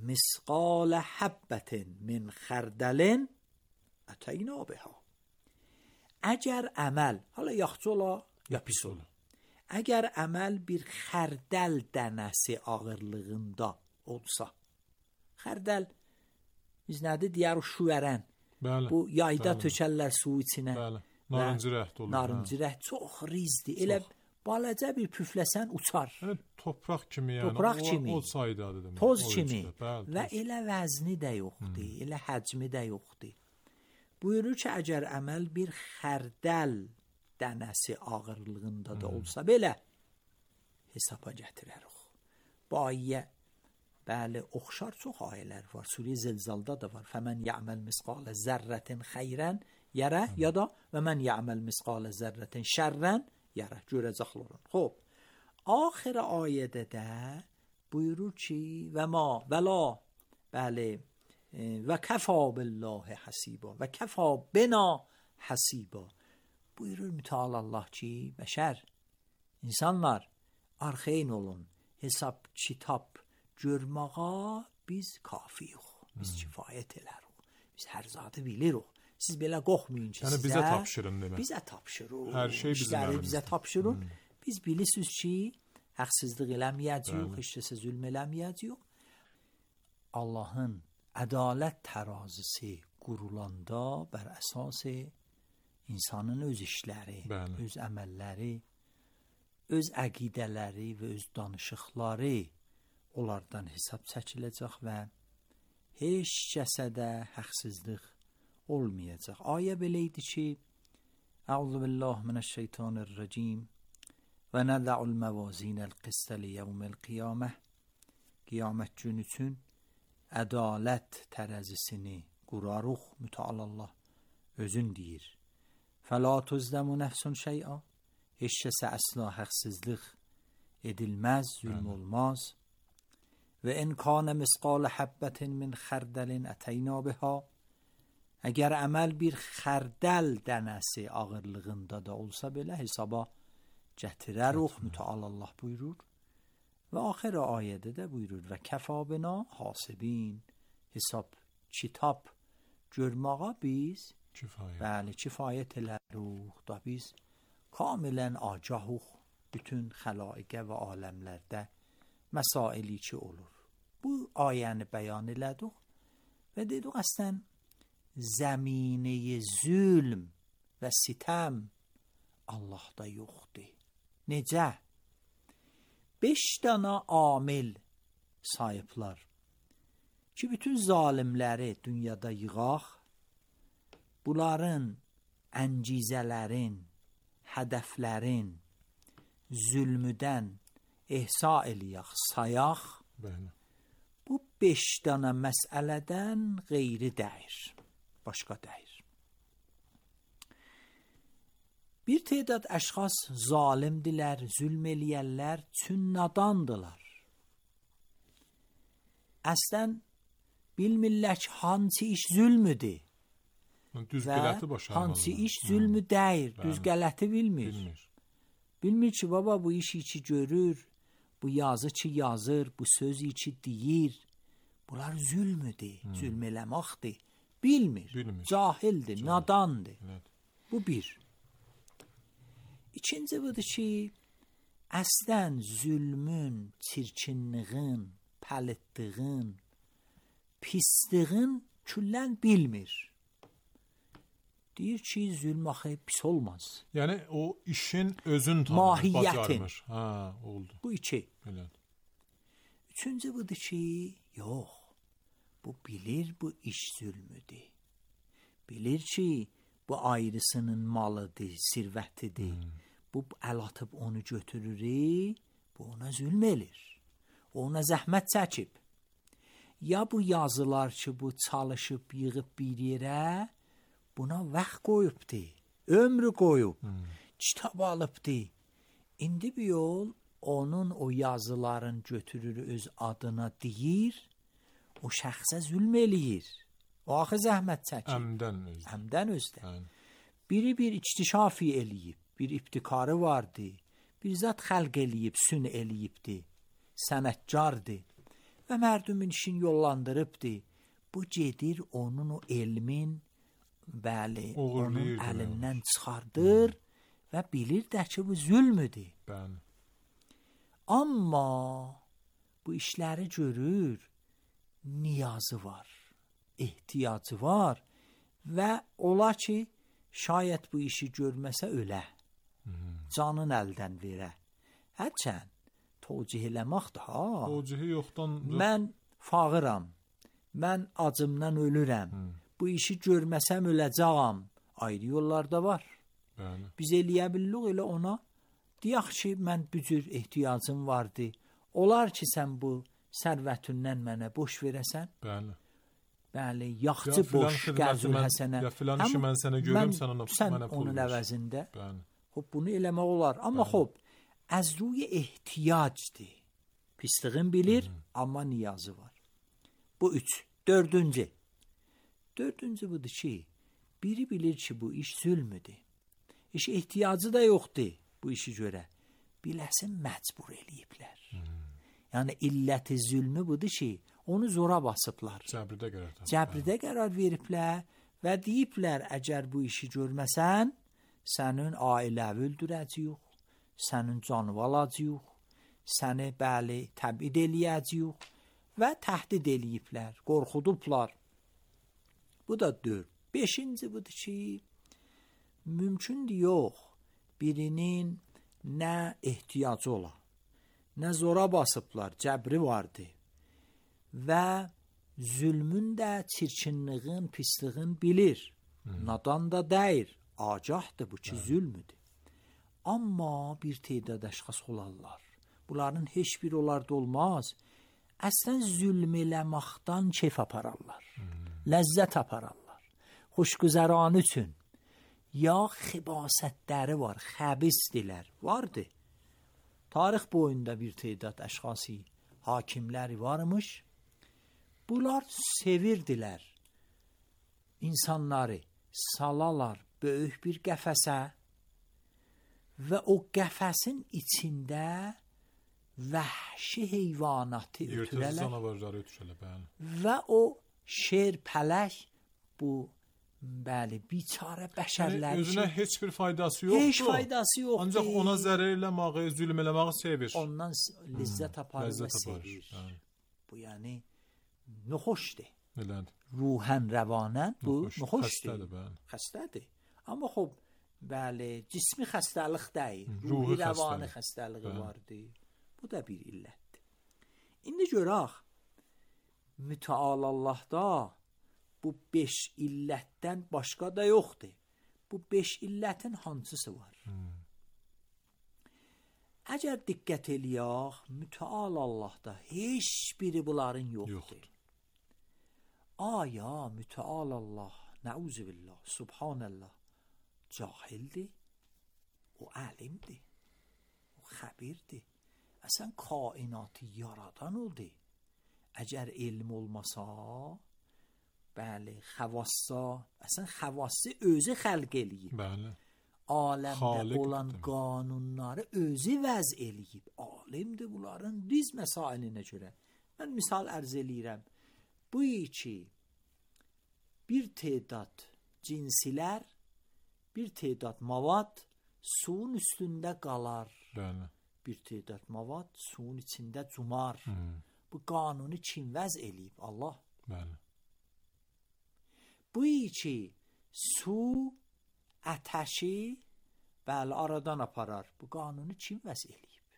misqal habbatin min xərdəlin ətəyna biha. Əgər əməl, hala yaxşı ola, ya pis ola. Əgər əməl bir xərdəl dənəsi ağırlığında olsa, xərdəl biz nədir deyər şüvərən. Bəli. Bu yayda bəli. Tökərlər su içinə. Bəli. Narıncı rəht olur. Narıncı rəht çox rizdir. Elə balaca bir püfləsən uçar. Yəni topraq kimi yəni. Topraq o, kimi. O saydadır demək. Toz kimi. Bəli, və toz. Elə vəzni də yoxdur, hmm. elə həcmi də yoxdur. Buyurur ki, əgər əməl bir xərdəl dənəsi ağırlığında da olsa hmm. belə hesaba gətirərik. Bu ayə bəli oxşar çox ayələr var. Surə Zəlzalda da var. Fəmən ya'məl misqalə zərrətin xeyrən yərə hmm. ya da və mən ya'məl misqalə zərrətin şərrən yərə görəcəklər. Xoş. Axir ayədə də buyurur ki, və ma vəla bəli və kəfa billahi hasiba və kəfa bina hasiba. Buyurur Mütəal Allah ki, bəşər, insanlar arxeyn olun, hesab, kitab görməğa biz kafiyik, biz hmm. kifayət elərik, biz hər zadı bilirik. Siz belə qorxmayın ki, yəni sizə bizə tapşırın demək. Bizə tapşırın. Hər şey bizim əlimizdə. Bizə tapşırın. Hmm. Biz bilirsiniz ki, haqsızlıq eləməyəcəyik, heç kəsə zülm eləməyəcəyik. Allahın ədalət tərazisi qurulanda bər əsas insanın öz işləri, bəli. Öz əməlləri, öz əqidələri və öz danışıqları onlardan hesab çəkiləcək və heç kəsə də haqsızlıq olmayacaq. Ayə belə idi ki, Əuzu billahi minəşşeytanirracim və nədə'ul məvazinəl qistə liyevmil qiyamə. Qiyamət günü üçün ədalət tərəzisini qurarıq. Mütəal Allah özün deyir. Fəla tuzləmu nəfsun şey'a, heç kəsə əsla haqsızlıq edilməz, zülm olmaz. Və in kanə misqal habbətin min xərdəlin ətəyna biha, əgər əməl bir xərdəl dənəsi ağırlığında da olsa belə hesaba gətirərik. Mütəal Allah buyurur. Və axir ayədə də buyurur və kəfa bina hasibin, hesab, kitab görməğa biz kifayət. Bəli, kifayət elərik da biz kamilən agahıq bütün xəlaiqə və aləmlərdə məsaili ki olur. Bu ayəni bəyan elədik və dedik əslən zəminəyə zülm və sitəm Allahda yoxdur. Necə? Beş dana amil sayıblar ki, bütün zalimləri dünyada yığaq, bunların əncizələrin, hədəflərin, zülmüdən ehsa eləyək, sayaq. Bəli. Bu beş dana məsələdən qeyri dəyir, başqa dəyir. Bir tədad əşxas zalimdilər, zülm eləyərlər, çün nadandılar. Əslən bilmirlər ki, hansı iş zülmüdür düz və hansı iş zülmü hmm. deyir, bəli. Düz qələti bilmir. Bilmir. Bilmir ki, baba bu işi ki görür, bu yazı ki yazır, bu sözü ki deyir, bunlar zülmüdür, hmm. zülm eləməkdir. Bilmir, bilmir. Cahildir, Cahil. Nadandır. Evet. Bu bir. İkinci budur ki, əslən zülmün, çirkinliğin, pəlitliğin, pisliğin küllən bilmir. Deyir ki, zülm axı pis olmaz. Yəni o işin özün tanır, mahiyyətin. bacarmır. Ha, oldu. Bu iki. Belə. Üçüncü budur ki, yox. Bu bilir bu iş zülmüdür. Bilir ki, bu ayrısının malıdır, sirvətidir. Hmm. Bu əl atıb onu götürür, bu ona zülm elir. O ona zəhmət çəkib. Ya bu yazılar ki, bu çalışıb, yığıb bir yerə, buna vaxt qoyubdur, ömrü qoyub, hmm. kitab alıbdır. İndi bir yol onun o yazıların götürür öz adına deyir, o şəxsə zülm eləyir. O axı zəhmət çəkir. Əmdən özdə. Əmdən özdə. Yəni. Biri bir iktişafi eləyib, bir ibtikarı vardı, bir zat xəlq eləyib, sün eləyibdi, sənətkardı və mərdumin işin yollandırıbdı. Bu gedir onun o elmin, bəli, onun əlindən çıxardır hmm. və bilir də ki, bu zülmüdür. Bəli. Amma bu işləri görür, niyazı var, ehtiyacı var və ola ki, şayət bu işi görməsə ölə, hmm. canın əldən verə. Hərçən, tocih eləməkdir, ha. Tocihi yoxdan... Mən fağıram, mən acımdan ölürəm, hmm. bu işi görməsəm öləcəyəm, ayrı yollarda var. Bəli. Biz eləyə bildik elə ona, deyək ki, mən bu cür ehtiyacım vardı, olar ki, sən bu sərvətindən mənə boş verəsən. Bəli. Bəli, yaxçı ya boş, qərzül həsənə. Ya filan işi mən sənə görüm, sən ona sən mənə pul onun ver. əvəzində. Bəli. Xub, bunu eləmək olar. Amma xub, az ruy ehtiyacdır. Pisliğin bilir, hmm. amma niyazı var. Bu üç. Dördüncü. Dördüncü budur ki, biri bilir ki, bu iş zülmüdür. İş ehtiyacı da yoxdur bu işi görə. Biləsin, məcbur eləyiblər. Hmm. Yəni, illəti zülmü budur ki, onu zora basıblar. Cəbridə qərar. Cəbridə qərar veriblər və deyiblər, əgər bu işi görməsən, sənin ailəvi öldürəcəyik, sənin canı alacağıq, səni bəli təbid eləyəcəyik və təhdid eləyiblər, qorxudublar. Bu da dörd. Beşinci budur ki, mümkündür yox, birinin nə ehtiyacı ola, nə zora basıblar, cəbri vardı və zülmün də çirkinliğin, pisliğin bilir. Hmm. Nadan da deyir, agahdır bu ki, evet. Zülmüdür. Amma bir tədad əşxas olarlar. Bunların heç bir onlarda olmaz. Əslən zülm eləməkdən keyf apararlar. Hmm. Ləzzət apararlar. Xoşgüzəran üçün. Ya xibasətləri var, xəbisdilər. Vardı. Tarix boyunda bir tədad əşxası, hakimləri varmış. Bunlar sevirdilər insanları, salalar böyük bir qəfəsə və o qəfəsin içində vəhşi heyvanatı ötürələr və o şer, pələk bu bəli, biçarə bəşərlər yəni, özünə heç bir faydası yoxdur. Heç faydası yoxdur. Ancaq ona zərər eləməyi, zülm eləməyi sevir. Ondan ləzzət aparır hmm, və sevir. Hə. Bu yəni nöxoşdur. Elədir. Ruhən, rəvanən bu nöxoşdur. Xəstədir, bəli. Xəstədir. Amma xub, bəli, cismi xəstəlik deyil. Ruhi rəvani xəstəliği vardı. Bu da bir illətdir. İndi görək, mütəal Allahda bu beş illətdən başqa da yoxdur. Bu beş illətin hansısı var? Hmm. Əgər diqqət eləyək, mütəal Allahda heç biri bunların yoxdur. yoxdur. Aya mütəal Allah, nəuzubillah, subhanallah, cahildir, o alimdir, o xəbirdir. Əsən kainatı yaradan oldu. Əgər elm olmasa, bəli, xəvassa, əsən xəvassı özü xəlq eləyib. Bəli. Aləmdə Xalik olan demək. Qanunları özü vəz eləyib. Alimdir bunların diz məsailinə görə. Mən misal ərz eləyirəm. Bu ki, bir tədad cinsilər, bir tədad mavad suyun üstündə qalar. Bəli. bir tədad mavad suyun içində cumar. Hmm. Bu qanunu kim vəz eləyib? Allah. Bəli. Bu ki su ətəşi bəli aradan aparar. Bu qanunu kim vəz eləyib?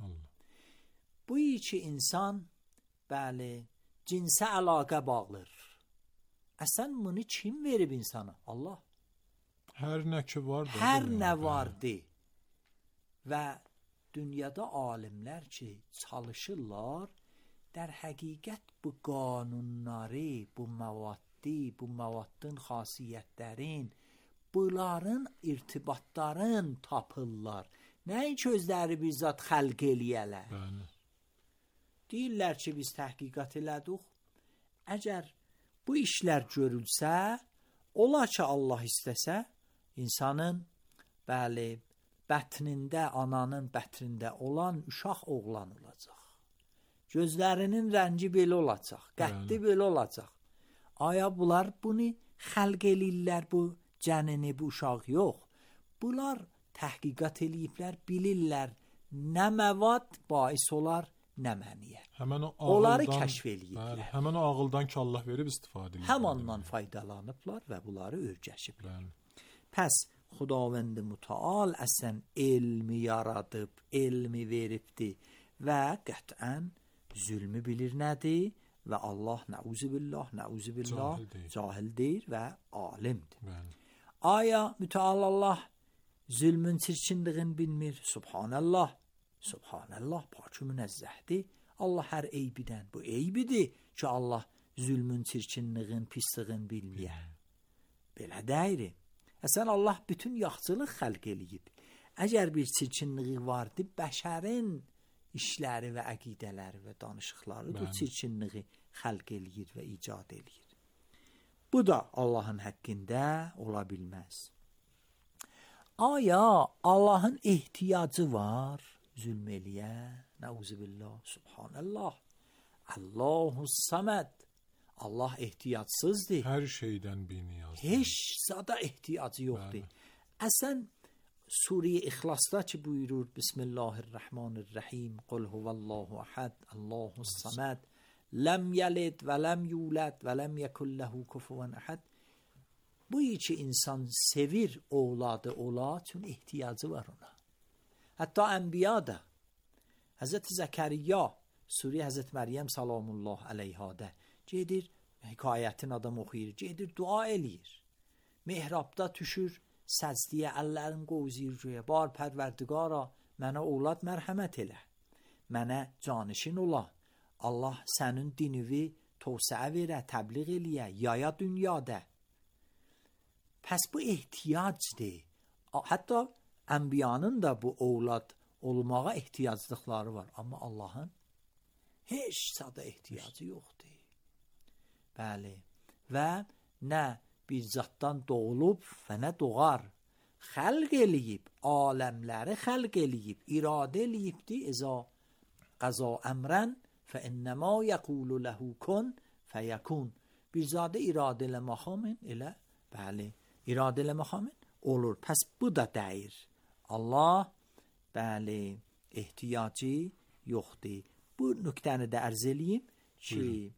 Allah. Bu ki insan bəli cinsə əlaqə bağlar. Əsən bunu kim verib insana? Allah. Hər nə ki var da. Hər nə vardı. Və dünyada alimlər ki çalışırlar, در حقیقت bu qanunları, bu məvaddi, bu məvaddın xasiyyətlərin, bunların irtibatların tapırlar. Nəinki özləri bir zat xəlq eləyələr. Bəli. Deyirlər ki, biz təhqiqat elədik. Əgər bu işlər görülsə, ola ki Allah istəsə, insanın bəli, bətnində, ananın bətnində olan uşaq oğlan olacaq. Gözlərinin rəngi belə olacaq, qəddi belə olacaq. Aya bunlar bunu xəlq eləyirlər, bu cənini, bu uşaq yox. Bunlar təhqiqat eləyiblər, bilirlər nə məvad bais olar, nə məniyə. Həmən o onları ağıldan, kəşf eləyiblər. Bəli, həmən o ağıldan ki Allah verib istifadə edirlər. Həmandan faydalanıblar və bunları öyrəşiblər. Bəli. Pəs Xudavənd Mütəal əsən elmi yaradıb, elmi veribdi və qətlən zülmü bilir nədir və Allah nəuzubillah, nəuzubillah cahil deyir və alimdir. Bəli. Aya Mütəal Allah zülmün çirkinliğini bilmir? Subhanallah, subhanallah, pakı münezzəhdir. Allah hər eybidən, bu eybidir ki Allah zülmün çirkinliğini, pisliğini bilməyər. Belə deyir. Əsən Allah bütün yaxçılıq xəlq eləyib. Əgər bir çirkinliği vardı, bəşərin işləri və əqidələri və danışıqları bu çirkinliği xəlq eləyir və icad eləyir. Bu da Allahın həqqində ola bilməz. Aya Allahın ehtiyacı var zülm eləyə? Nəuzubillah, subhanallah. Allahus Saməd. Allah ehtiyacsızdır. Hər şeydən biniyazdır. Heç zada ehtiyacı yoxdur. Əsən Suriye İxlasda ki buyurur Bismillahirrahmanirrahim Qul huvallahu ahad Allahus Saməd ləm yəlid və ləm yulad və ləm yekun lehu kufuven ahad. Bu ki insan sevir ovladı ola çünki ehtiyacı var ona. Hətta Ənbiya da Həzrəti Zəkəriyya Suriye Həzrət Məryəm salamullah əleyhadə gedir hekayətin adam oxuyur, gedir dua eləyir. Mehrabda düşür səcdiyə əllərin qovzir göyə. Bar pərverdigara mənə ovlad mərhəmət elə. Mənə canişin ola. Allah sənin dinivi tövsəə verə, təbliğ eləyə, yaya dünyada. Pəs bu ehtiyacdır. Hətta Ənbiyanın da bu ovlad olmağa ehtiyaclıqları var. Amma Allahın heç sada ehtiyacı yoxdur. Bəli. Və nə bir zatdan doğulub və nə doğar. Xəlq eləyib, aləmləri xəlq eləyib, iradə eləyibdi. Əza qəza əmrən fə innəmə yəqulu ləhu kun fəyəkun. Bir zadə iradə eləməxamın elə, bəli, iradə eləməxamın olur. Pəs bu da dəyir. Allah, bəli, ehtiyacı yoxdur. Bu nöqtəni də ərz eləyim ki, buyurun.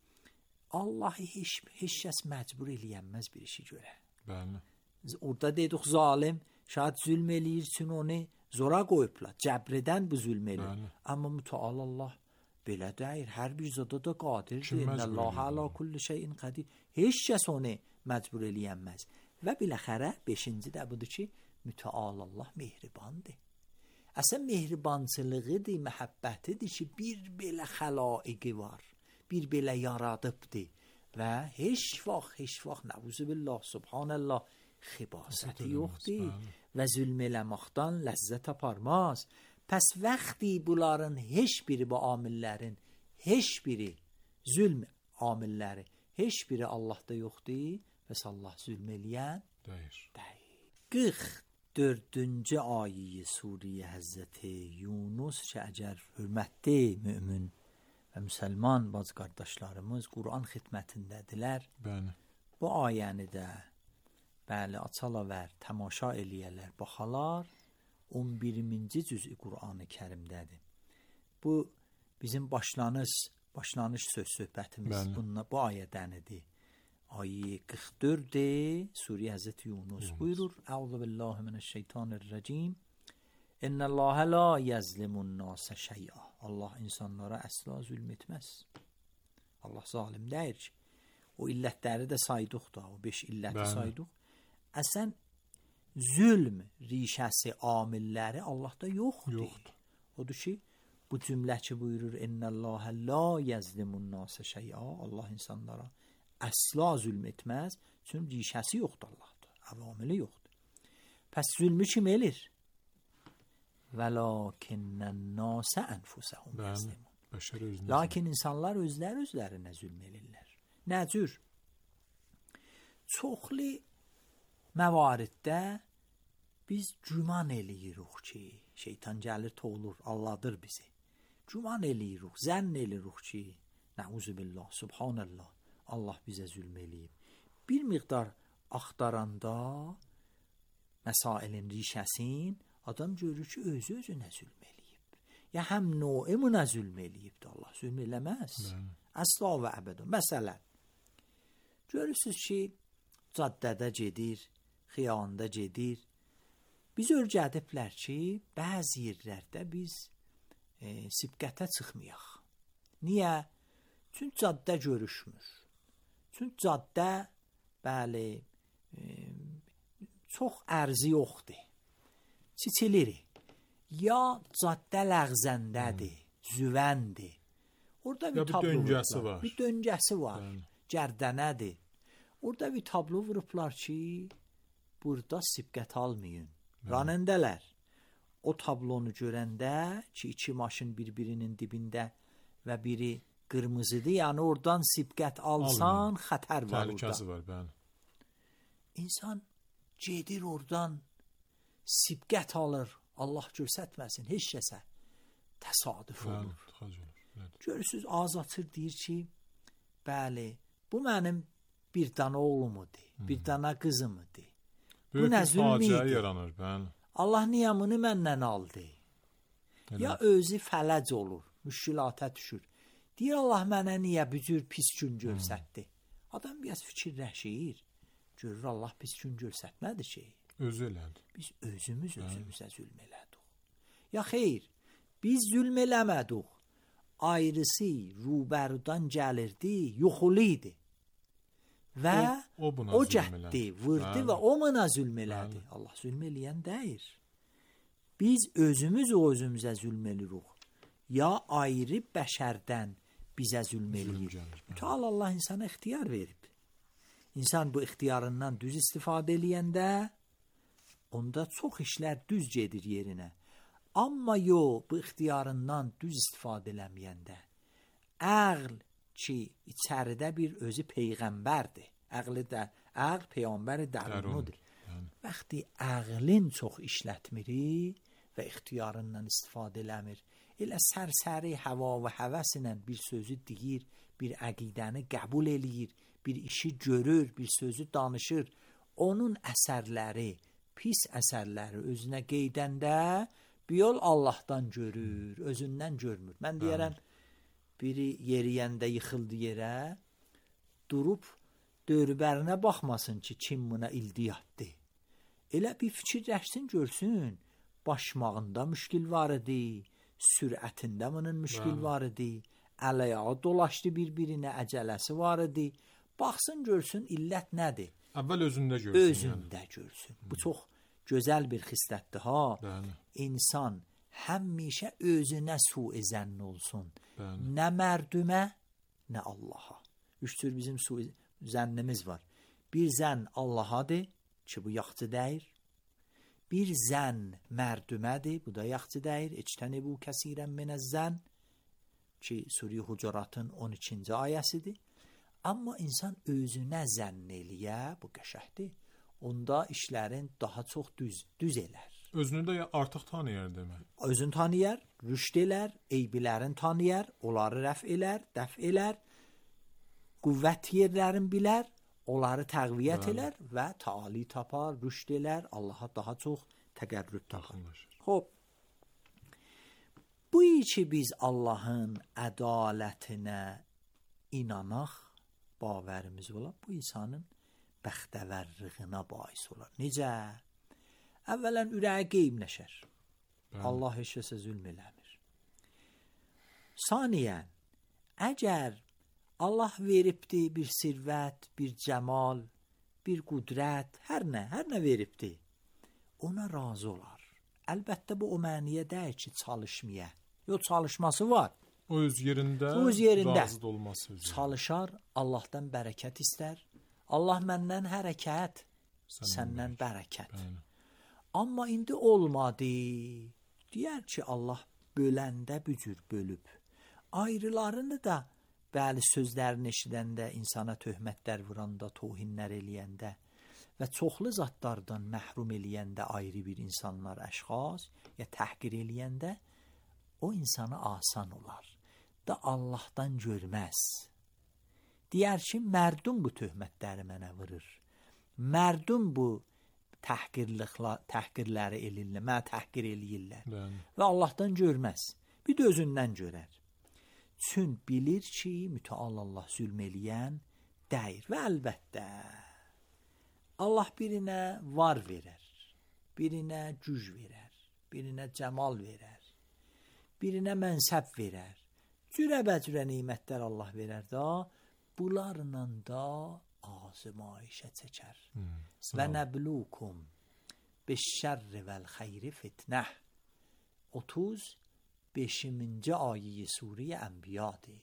Allah'ı heç, heç kəs məcbur eləyənməz bir işi görə. Bəli. Orada dedik zalim, şayad zülm eləyir üçün onu zora qoyublar. Cəbrədən bu zülm eləyir. Bəli. Amma mütəal Allah belə deyir. Hər bir zada da qadirdir. İnnəllaha alə kulli şeyin qadir. Heç kəs onu məcbur eləyənməz. Və biləxərə beşinci də budur ki, mütəal Allah mehribandır. Əsən mehribançılığıdır, məhəbbətidir ki, bir belə xəlaiqi var. Bir belə yaradıbdır və heç vaxt, heç vaxt nəuzubillah, subhanallah, xibasəti yoxdur və zülm eləməkdən ləzzət aparmaz. Pəs vaxtı bunların heç biri bu amillərin, heç biri zülm amilləri, heç biri Allahda yoxdur və Allah zülm eləyən deyir. qırx dördüncü ayə Suriyə Həzrəti Yunus ki, əgər hörmətli mömin və müsəlman bacı qardaşlarımız Quran xidmətindədirlər. Bəli. Bu ayəni də bəli açalar və tamaşa eləyərlər, baxalar. on birinci cüzü Qurani-Kərimdədir. Bu bizim başlanış başlanış söz söhbətimiz bununla bu ayədənidir. Ayə qırx dörd Suriyə Həzrəti Yunus buyurur: Əuzu billahi mineşşeytanirracim. İnnallâhe la yezlimun nâse şey'a. Allah insanlara əsla zülm etməz. Allah zalim deyir ki, o illətləri də saydıq da, o beş illəti saydıq. Əsən zülm rişəsi, amilləri Allah'ta yoxdur. Yoxdur. Odur ki, bu cümlə ki buyurur: İnnallâhe la yezlimun nâse şey'a. Allah insanlara əsla zülm etməz. Çünki rişəsi yoxdur Allah'ta. Avamili yoxdur. Pəs zülmü kim elir? Velakinnen nase enfusahum yezlimun. Lakin insanlar özləri özlərinə zülm edirlər. Nə cür? Çoxlu məvariddə biz güman eləyirik ki, şeytan gəlir toğulur, alladır bizi. Güman eləyirik, zənn eləyirik ki, nəuzubillah, subhanallah, Allah bizə zülm eləyib. Bir miqdar axtaranda məsailin rişəsin, adam görür ki, özü özünə zülm eləyib. Ya həm noimuna zülm eləyibdir, Allah zülm eləməz. Əsla və əbədən. Məsələn, görürsünüz ki, caddədə gedir, xiyanda gedir. Biz örgədiblər ki, bəzi yerlərdə biz e, sibqətə çıxmayaq. Niyə? Çünki caddə görüşmür. Çünki caddə, bəli, e, çox ərzi yoxdur. Çiçilir. Ya caddə ləğzəndədir, hmm. züvəndir. Orada bir, bir tablo döngəsi var. Bir döngəsi var. Yani. Gərdənədir. Orada bir tablo vurublar ki, burada sibqət almayın. Hmm. Ranəndələr. O tablonu görəndə ki, iki maşın bir-birinin dibində və biri qırmızıdır, yəni oradan sibqət alsan, almayın. Xətər var orada. Təhlükəsi var, bəli. İnsan gedir oradan, sibqət alır, Allah göstərməsin, heç kəsə təsadüf olur. Bəli, görürsünüz, ağız açır, deyir ki, bəli, bu mənim bir dana oğlumudur, hmm. bir dana qızımıdır. Bu nə zülmidir? Allah niyamını məndən aldı. Elə. Ya özü fələc olur, müşkilata düşür. Deyir, Allah mənə niyə bu cür pis gün görsətdi? Hmm. Adam biraz fikirləşir, görür Allah pis gün görsətmədi ki. Özü elədi. Biz özümüz özümüzə zülm elədik. Ya xeyr, biz zülm eləmədik. Ayrısı rubərudan gəlirdi, yuxulu idi. Və o, o, o gətdi, vurdu və o buna zülm elədi. Bəli. Allah zülm eləyən deyir. Biz özümüz o özümüzə zülm eləyirik. Ya ayrı bəşərdən bizə zülm eləyir. Mütəal Allah insana ixtiyar verib. İnsan bu ixtiyarından düz istifadə eləyəndə onda çox işlər düz gedir yerinə. Amma yox, bu ixtiyarından düz istifadə eləməyəndə, əql ki, içəridə bir özü peyğəmbərdir. Əqli də, əql peyğəmbəri dərunudur. Vaxtı əqlin çox işlətmiri və ixtiyarından istifadə eləmir. Elə sərsəri hava və həvəsinə bir sözü deyir, bir əqidəni qəbul eləyir, bir işi görür, bir sözü danışır. Onun əsərləri, pis əsərləri özünə qeydəndə bir yol Allahdan görür, özündən görmür. Mən deyərəm, biri yeriyəndə yıxıldı yerə, durub dörbərinə baxmasın ki, kim buna ildiyyatdır. Elə bir fikirləşsin, görsün, başmağında müşkil var idi, sürətində bunun müşkil var idi, əl-ayağı dolaşdı bir-birinə, əcələsi var idi. Baxsın, görsün, illət nədir? Əvvəl özündə görsün. Özündə yəni. Görsün. Bu çox gözəl bir xislətdir ha. Bəli. İnsan həmişə özünə su-i zənn olsun. Bəli. Nə mərdümə, nə Allaha. Üç tür bizim su-i zənnimiz var. Bir zənn Allahadır ki, bu yaxçı deyir. Bir zənn mərdumədir, bu da yaxçı deyir. İctənibu kəsirən minəz zənn ki, Suriyə Hucuratın on ikinci ayəsidir. Amma insan özünə zənn eləyə, bu qəşəhdir. Onda işlərin daha çox düz, düz elər. Özünü də artıq tanıyar demək. Özünü tanıyar, rüşd elər, eybilərin tanıyar, onları rəf elər, dəf elər, qüvvət yerlərin bilər, onları təqviyyət elər və taali tapar, rüşd elər, Allaha daha çox təqərrüb tapar. خب بویی ki biz Allahın ədalətinə inanaq, baverimiz ola, bu insanın bəxtəvərliyinə bais olar. Necə? Əvvələn ürəyi qeybləşər. Allah heç kəsə zülm eləmir. Saniyən, əgər Allah veribdi bir sirvət, bir cəmal, bir qudrət, hər nə, hər nə veribdi, ona razı olar. Əlbəttə bu o məniyə deyil ki, çalışmaya. Yox, çalışması var. O öz yerində, öz yerində razı olması üzrə. Çalışar, Allahdan bərəkət istər. Allah məndən hərəkət, Sən səndən bərəkət. Bəli. Amma indi olmadı. Deyər ki, Allah böləndə bücür bölüb. Ayrılarını da bəli sözlərini eşidəndə, insana töhmətlər vuranda, tohinlər eləyəndə və çoxlu zatlardan məhrum eləyəndə ayrı bir insanlar, əşxas ya təhqir eləyəndə o insana asan olar. Da Allahdan görməz. Deyər ki, mərdum bu töhmətləri mənə vurur. Mərdum bu təhqirləri eləyirlər, mənə təhqir eləyirlər. Bəli. Və Allahdan görməz. Bir də özündən görər. Çün bilir ki, mütəal Allah zülm eləyən deyir. Və əlbəttə Allah birinə var verər, birinə güc verər, birinə cəmal verər, birinə mənsəb verər. Cürə-bəcürə nimətlər Allah verər da, bunlarla da azmayişə çəkər. Hmm, və nəblukum beşşərri vəl-xeyri fitnəh. otuz beşinci ayə Surə Ənbiyadır.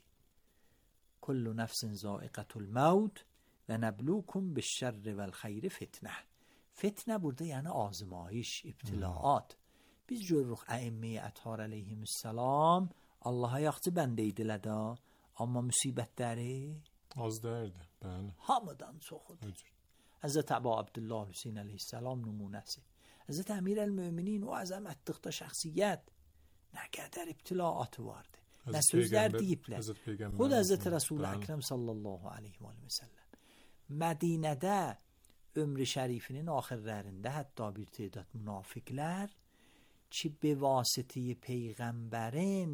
Kullu nəfsin zaiqətul məvt və nəblukum beşşərri vəl-xeyri fitnəh. Fitnə burada yəni azmayış, ibtilaat. Biz görürük əimmi ətər əleyhissalam Allaha yaxşı bəndə idilər də, amma müsibətləri az dəyirdi. Bəli. Hamıdan çoxudur. Həzrət Əbu Abdullah Hüseyn əleyhissalam nümunəsi. Həzrət Əmir əl-Möminin o əzəmətlikdə şəxsiyyət nə qədər ibtilaatı vardı. Nə sözlər deyiblər. Xud Həzrət Rəsul-i Əkrəm sallallahu aleyhi və səlləm Mədinədə ömrü şərifinin axirlərində hətta bir tədad münafiqlər ki, bevasitəyi Peyğəmbərin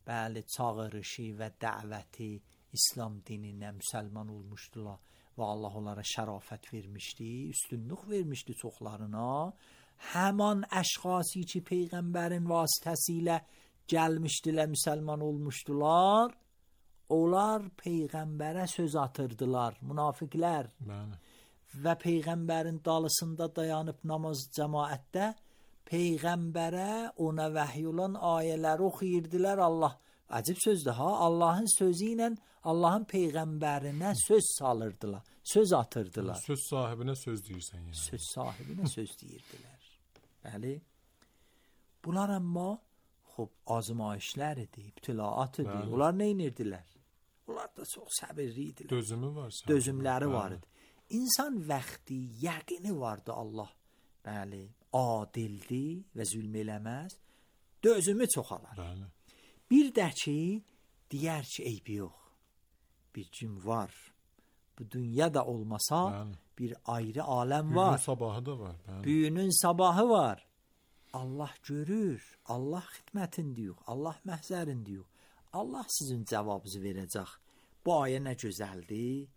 bəli çağırışı və dəvəti İslam dininə müsəlman olmuşdular və Allah onlara şərafət vermişdi, üstünlük vermişdi çoxlarına. Həman əşxası ki, Peyğəmbərin vasitəsilə gəlmişdilər, müsəlman olmuşdular, onlar Peyğəmbərə söz atırdılar, münafiqlər. Bəli. Və Peyğəmbərin dalısında dayanıb namaz cəmaətdə Peyğəmbərə ona vəhy olan ayələri oxuyurdular. Allah, acib sözdür ha, Allahın sözü ilə Allahın Peyğəmbərinə söz salırdılar, söz atırdılar. Söz sahibinə söz deyirsən yəni. Söz sahibinə söz deyirdilər. Bəli. Bunlar amma xub azmayişlər idi, ibtilaat idi. Bəli. Onlar nə edirdilər? Onlar da çox səbirli idilər. Dözümü var. Səbirli. Dözümləri Bəli. Var idi. İnsan vaxtı, yəqini vardı Allah. Bəli, adildir və zülm eləməz. Dözümü çoxalar. Bəli. Bir də ki, deyər ki, eybi yox. Bir gün var. Bu dünya da olmasa, Bəli. Bir ayrı aləm var. Büyünün sabahı da var. Bəli. Büyünün sabahı var. Allah görür. Allah xidmətində yox. Allah məhzərində yox. Allah sizin cavabınızı verəcək. Bu ayə nə gözəldir.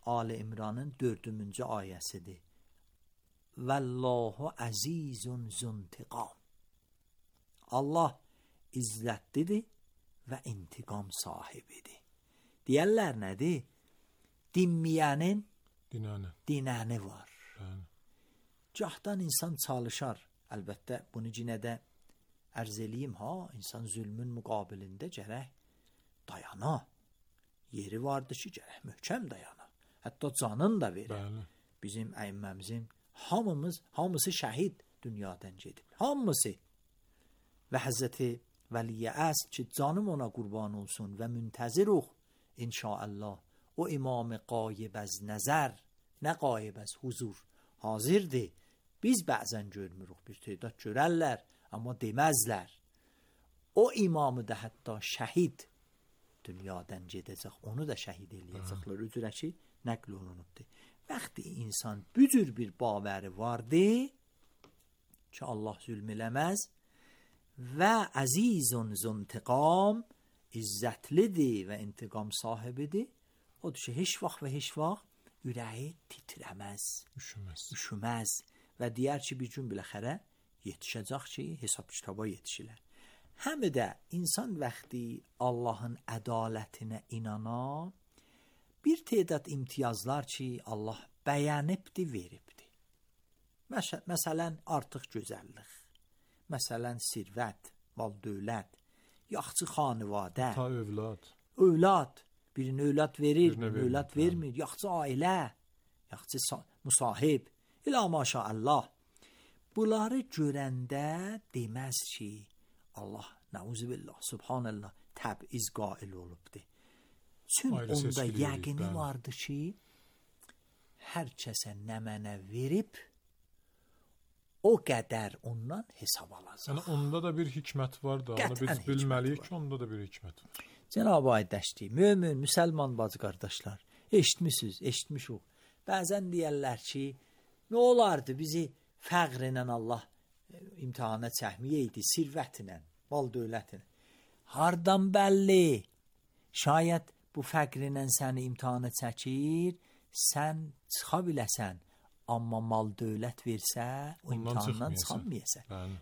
Ali İmranın dördüncü ayəsidir. Vallahu azizun zuntiqam. Allah izzətlidir və intiqam sahibidir. Deyərlər nədir? Dinməyənin dinəni. dinəni var. Bəli. Gahdan insan çalışar. Əlbəttə bunu yenə də ərz eləyim ha, insan zülmün müqabilində gərək dayana. Yeri vardır ki, gərək möhkəm dayana. Hətta canın da verir. Bəli. Bizim əyimməmizin hamımız, hamısı şəhid dünyadan gedib. Hamısı. Və Həzrəti Vəliyə Əsr ki, canım ona qurban olsun və müntəziruq inşaallah. O imam qayib az nəzər, nə qayib az huzur hazirdir. Biz bəzən görmürük, bir tədad görərlər, amma deməzlər. O imamı da hətta şəhid dünyadan gedəcək, onu da şəhid eləyəcəklər. Üzrə ki, nəql olunubdur. Vəxti insan bücür bir babəri vardı ki, Allah zülm eləməz və əzizun zuntiqam, izzətlidir və intiqam sahibidir. Odur ki, heç vaxt və heç vaxt ürəyi titrəməz, üşüməz. üşüməz və deyər ki, bir gün biləxərə yetişəcək ki, hesab kitaba yetişilər. Həm də insan vəxti Allahın ədalətinə inanan, bir tədad imtiyazlar ki, Allah bəyənibdi, veribdi. Məs- məsələn, artıq gözəllik, məsələn, sirvət, mal dövlət, yaxçı xanıvadə, ta övlad, övlad, birini övlad verir, birini birini övlad vermir, yaxçı ailə, yaxçı musahib, ilə maşallah. Bunları görəndə deməz ki, Allah, nəuzubillah, subhanallah, təbiz qail olubdur. Çün onda yəqini vardı ki, hər kəsə nə mənə verib, o qədər ondan hesab alacaq. Yəni onda da bir hikmət var da, onu biz bilməliyik ki, onda da bir hikmət var. Cənab-ı Aydəşdi, mömin, müsəlman bacı qardaşlar, eşitmişsiniz, eşitmişik. Bəzən deyərlər ki, nə olardı bizi fəqrlə Allah imtihana çəkməyəydi, sirvətlə, mal dövlətinə. Hardan bəlli? Şayət bu fəqrlə səni imtihana çəkir, sən çıxa biləsən, amma mal dövlət versə, o imtihandan çıxamayəsən.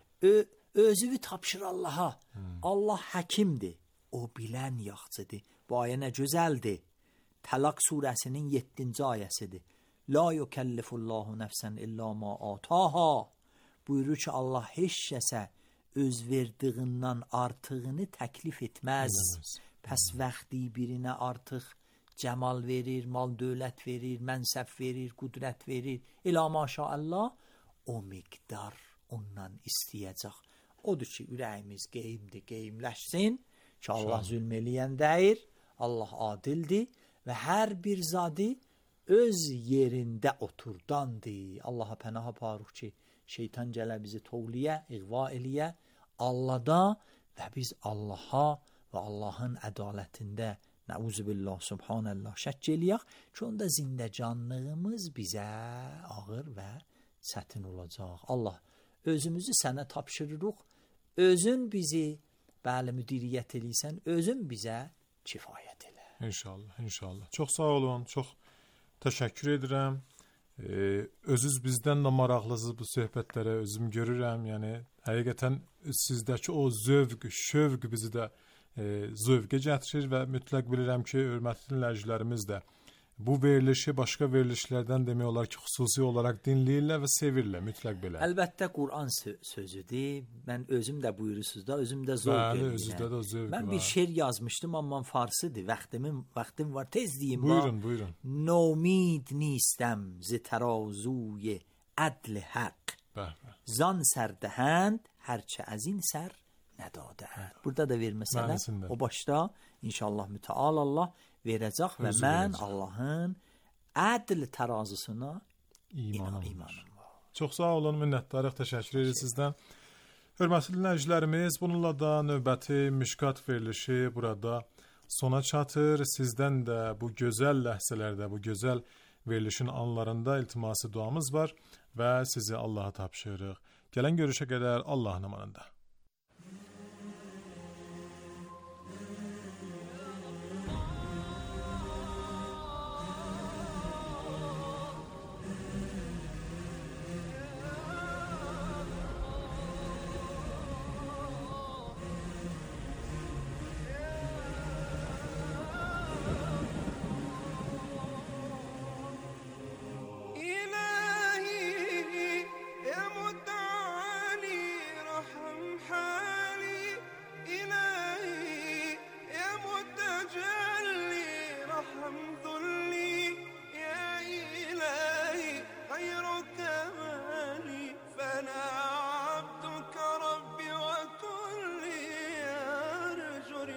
Özünü tapşır Allaha. Hmm. Allah həkimdir. O bilən yaxçıdır. Bu ayə nə gözəldir. Təlaq surəsinin yeddinci ayəsidir. La yukellifullahu nəfsən illa ma ataha. Buyurur ki, Allah heç kəsə öz verdiğindən artığını təklif etməz. Eləməz. Pəs vaxtı birinə artıq cəmal verir, mal dövlət verir, mənsəb verir, qudrət verir. İlə maşallah o miqdar ondan istəyəcək. Odur ki, ürəyimiz qeymdir, qeymləşsin ki, Allah zülm eləyən deyir, Allah adildir və hər bir zadı öz yerində oturdandır. Allaha pənah aparıq ki, şeytan gələ bizi toğliyə, iğva eləyə, Allahda və biz Allaha və Allahın ədalətində nəuzubillah, subhanallah şəkk eləyək ki, onda zindəcanlığımız bizə ağır və çətin olacaq. Allah, özümüzü sənə tapşırırıq, özün bizi bəli müdiriyyət eləysən, özün bizə kifayət elə. İnşallah, inşallah. Çox sağ olun, çox təşəkkür edirəm. Ee, özünüz bizdən də maraqlısınız bu söhbətlərə, özüm görürəm. Yəni, həqiqətən sizdəki o zövq, şövq bizi də e, zövqə gətirir və mütləq bilirəm ki, hörmətli dinləyicilərimiz də bu verilişi başqa verilişlərdən demək olar ki, xüsusi olaraq dinləyirlər və sevirlər, mütləq belə. Əlbəttə Qur'an sözüdür. Mən özüm də buyurursuz da, özüm də zövq Bəli, edirəm. özünüzdə də zövq Mən var. bir şeir yazmışdım, amma farsıdır. Vaxtimin, vaxtim var, tez deyim. Buyurun, buyurun. Nomid nistəm zi tərazuy ədl haqq. Zan sərdəhənd, hərçə əzin sər nədadəhənd. Burada da verməsələ, o başda inşallah mütəal Allah verəcək və Özü mən verəcək. Allahın ədl tərazısına İmanım, imanım var. Çox sağ olun, minnətdarıq, təşəkkür edirik sizdən. Hörmətli dinləyicilərimiz, bununla da növbəti Mişkat verilişi burada sona çatır. Sizdən də bu gözəl ləhzələrdə, bu gözəl verilişin anlarında iltiması duamız var və sizi Allaha tapşırırıq. Gələn görüşə qədər Allahın amanında.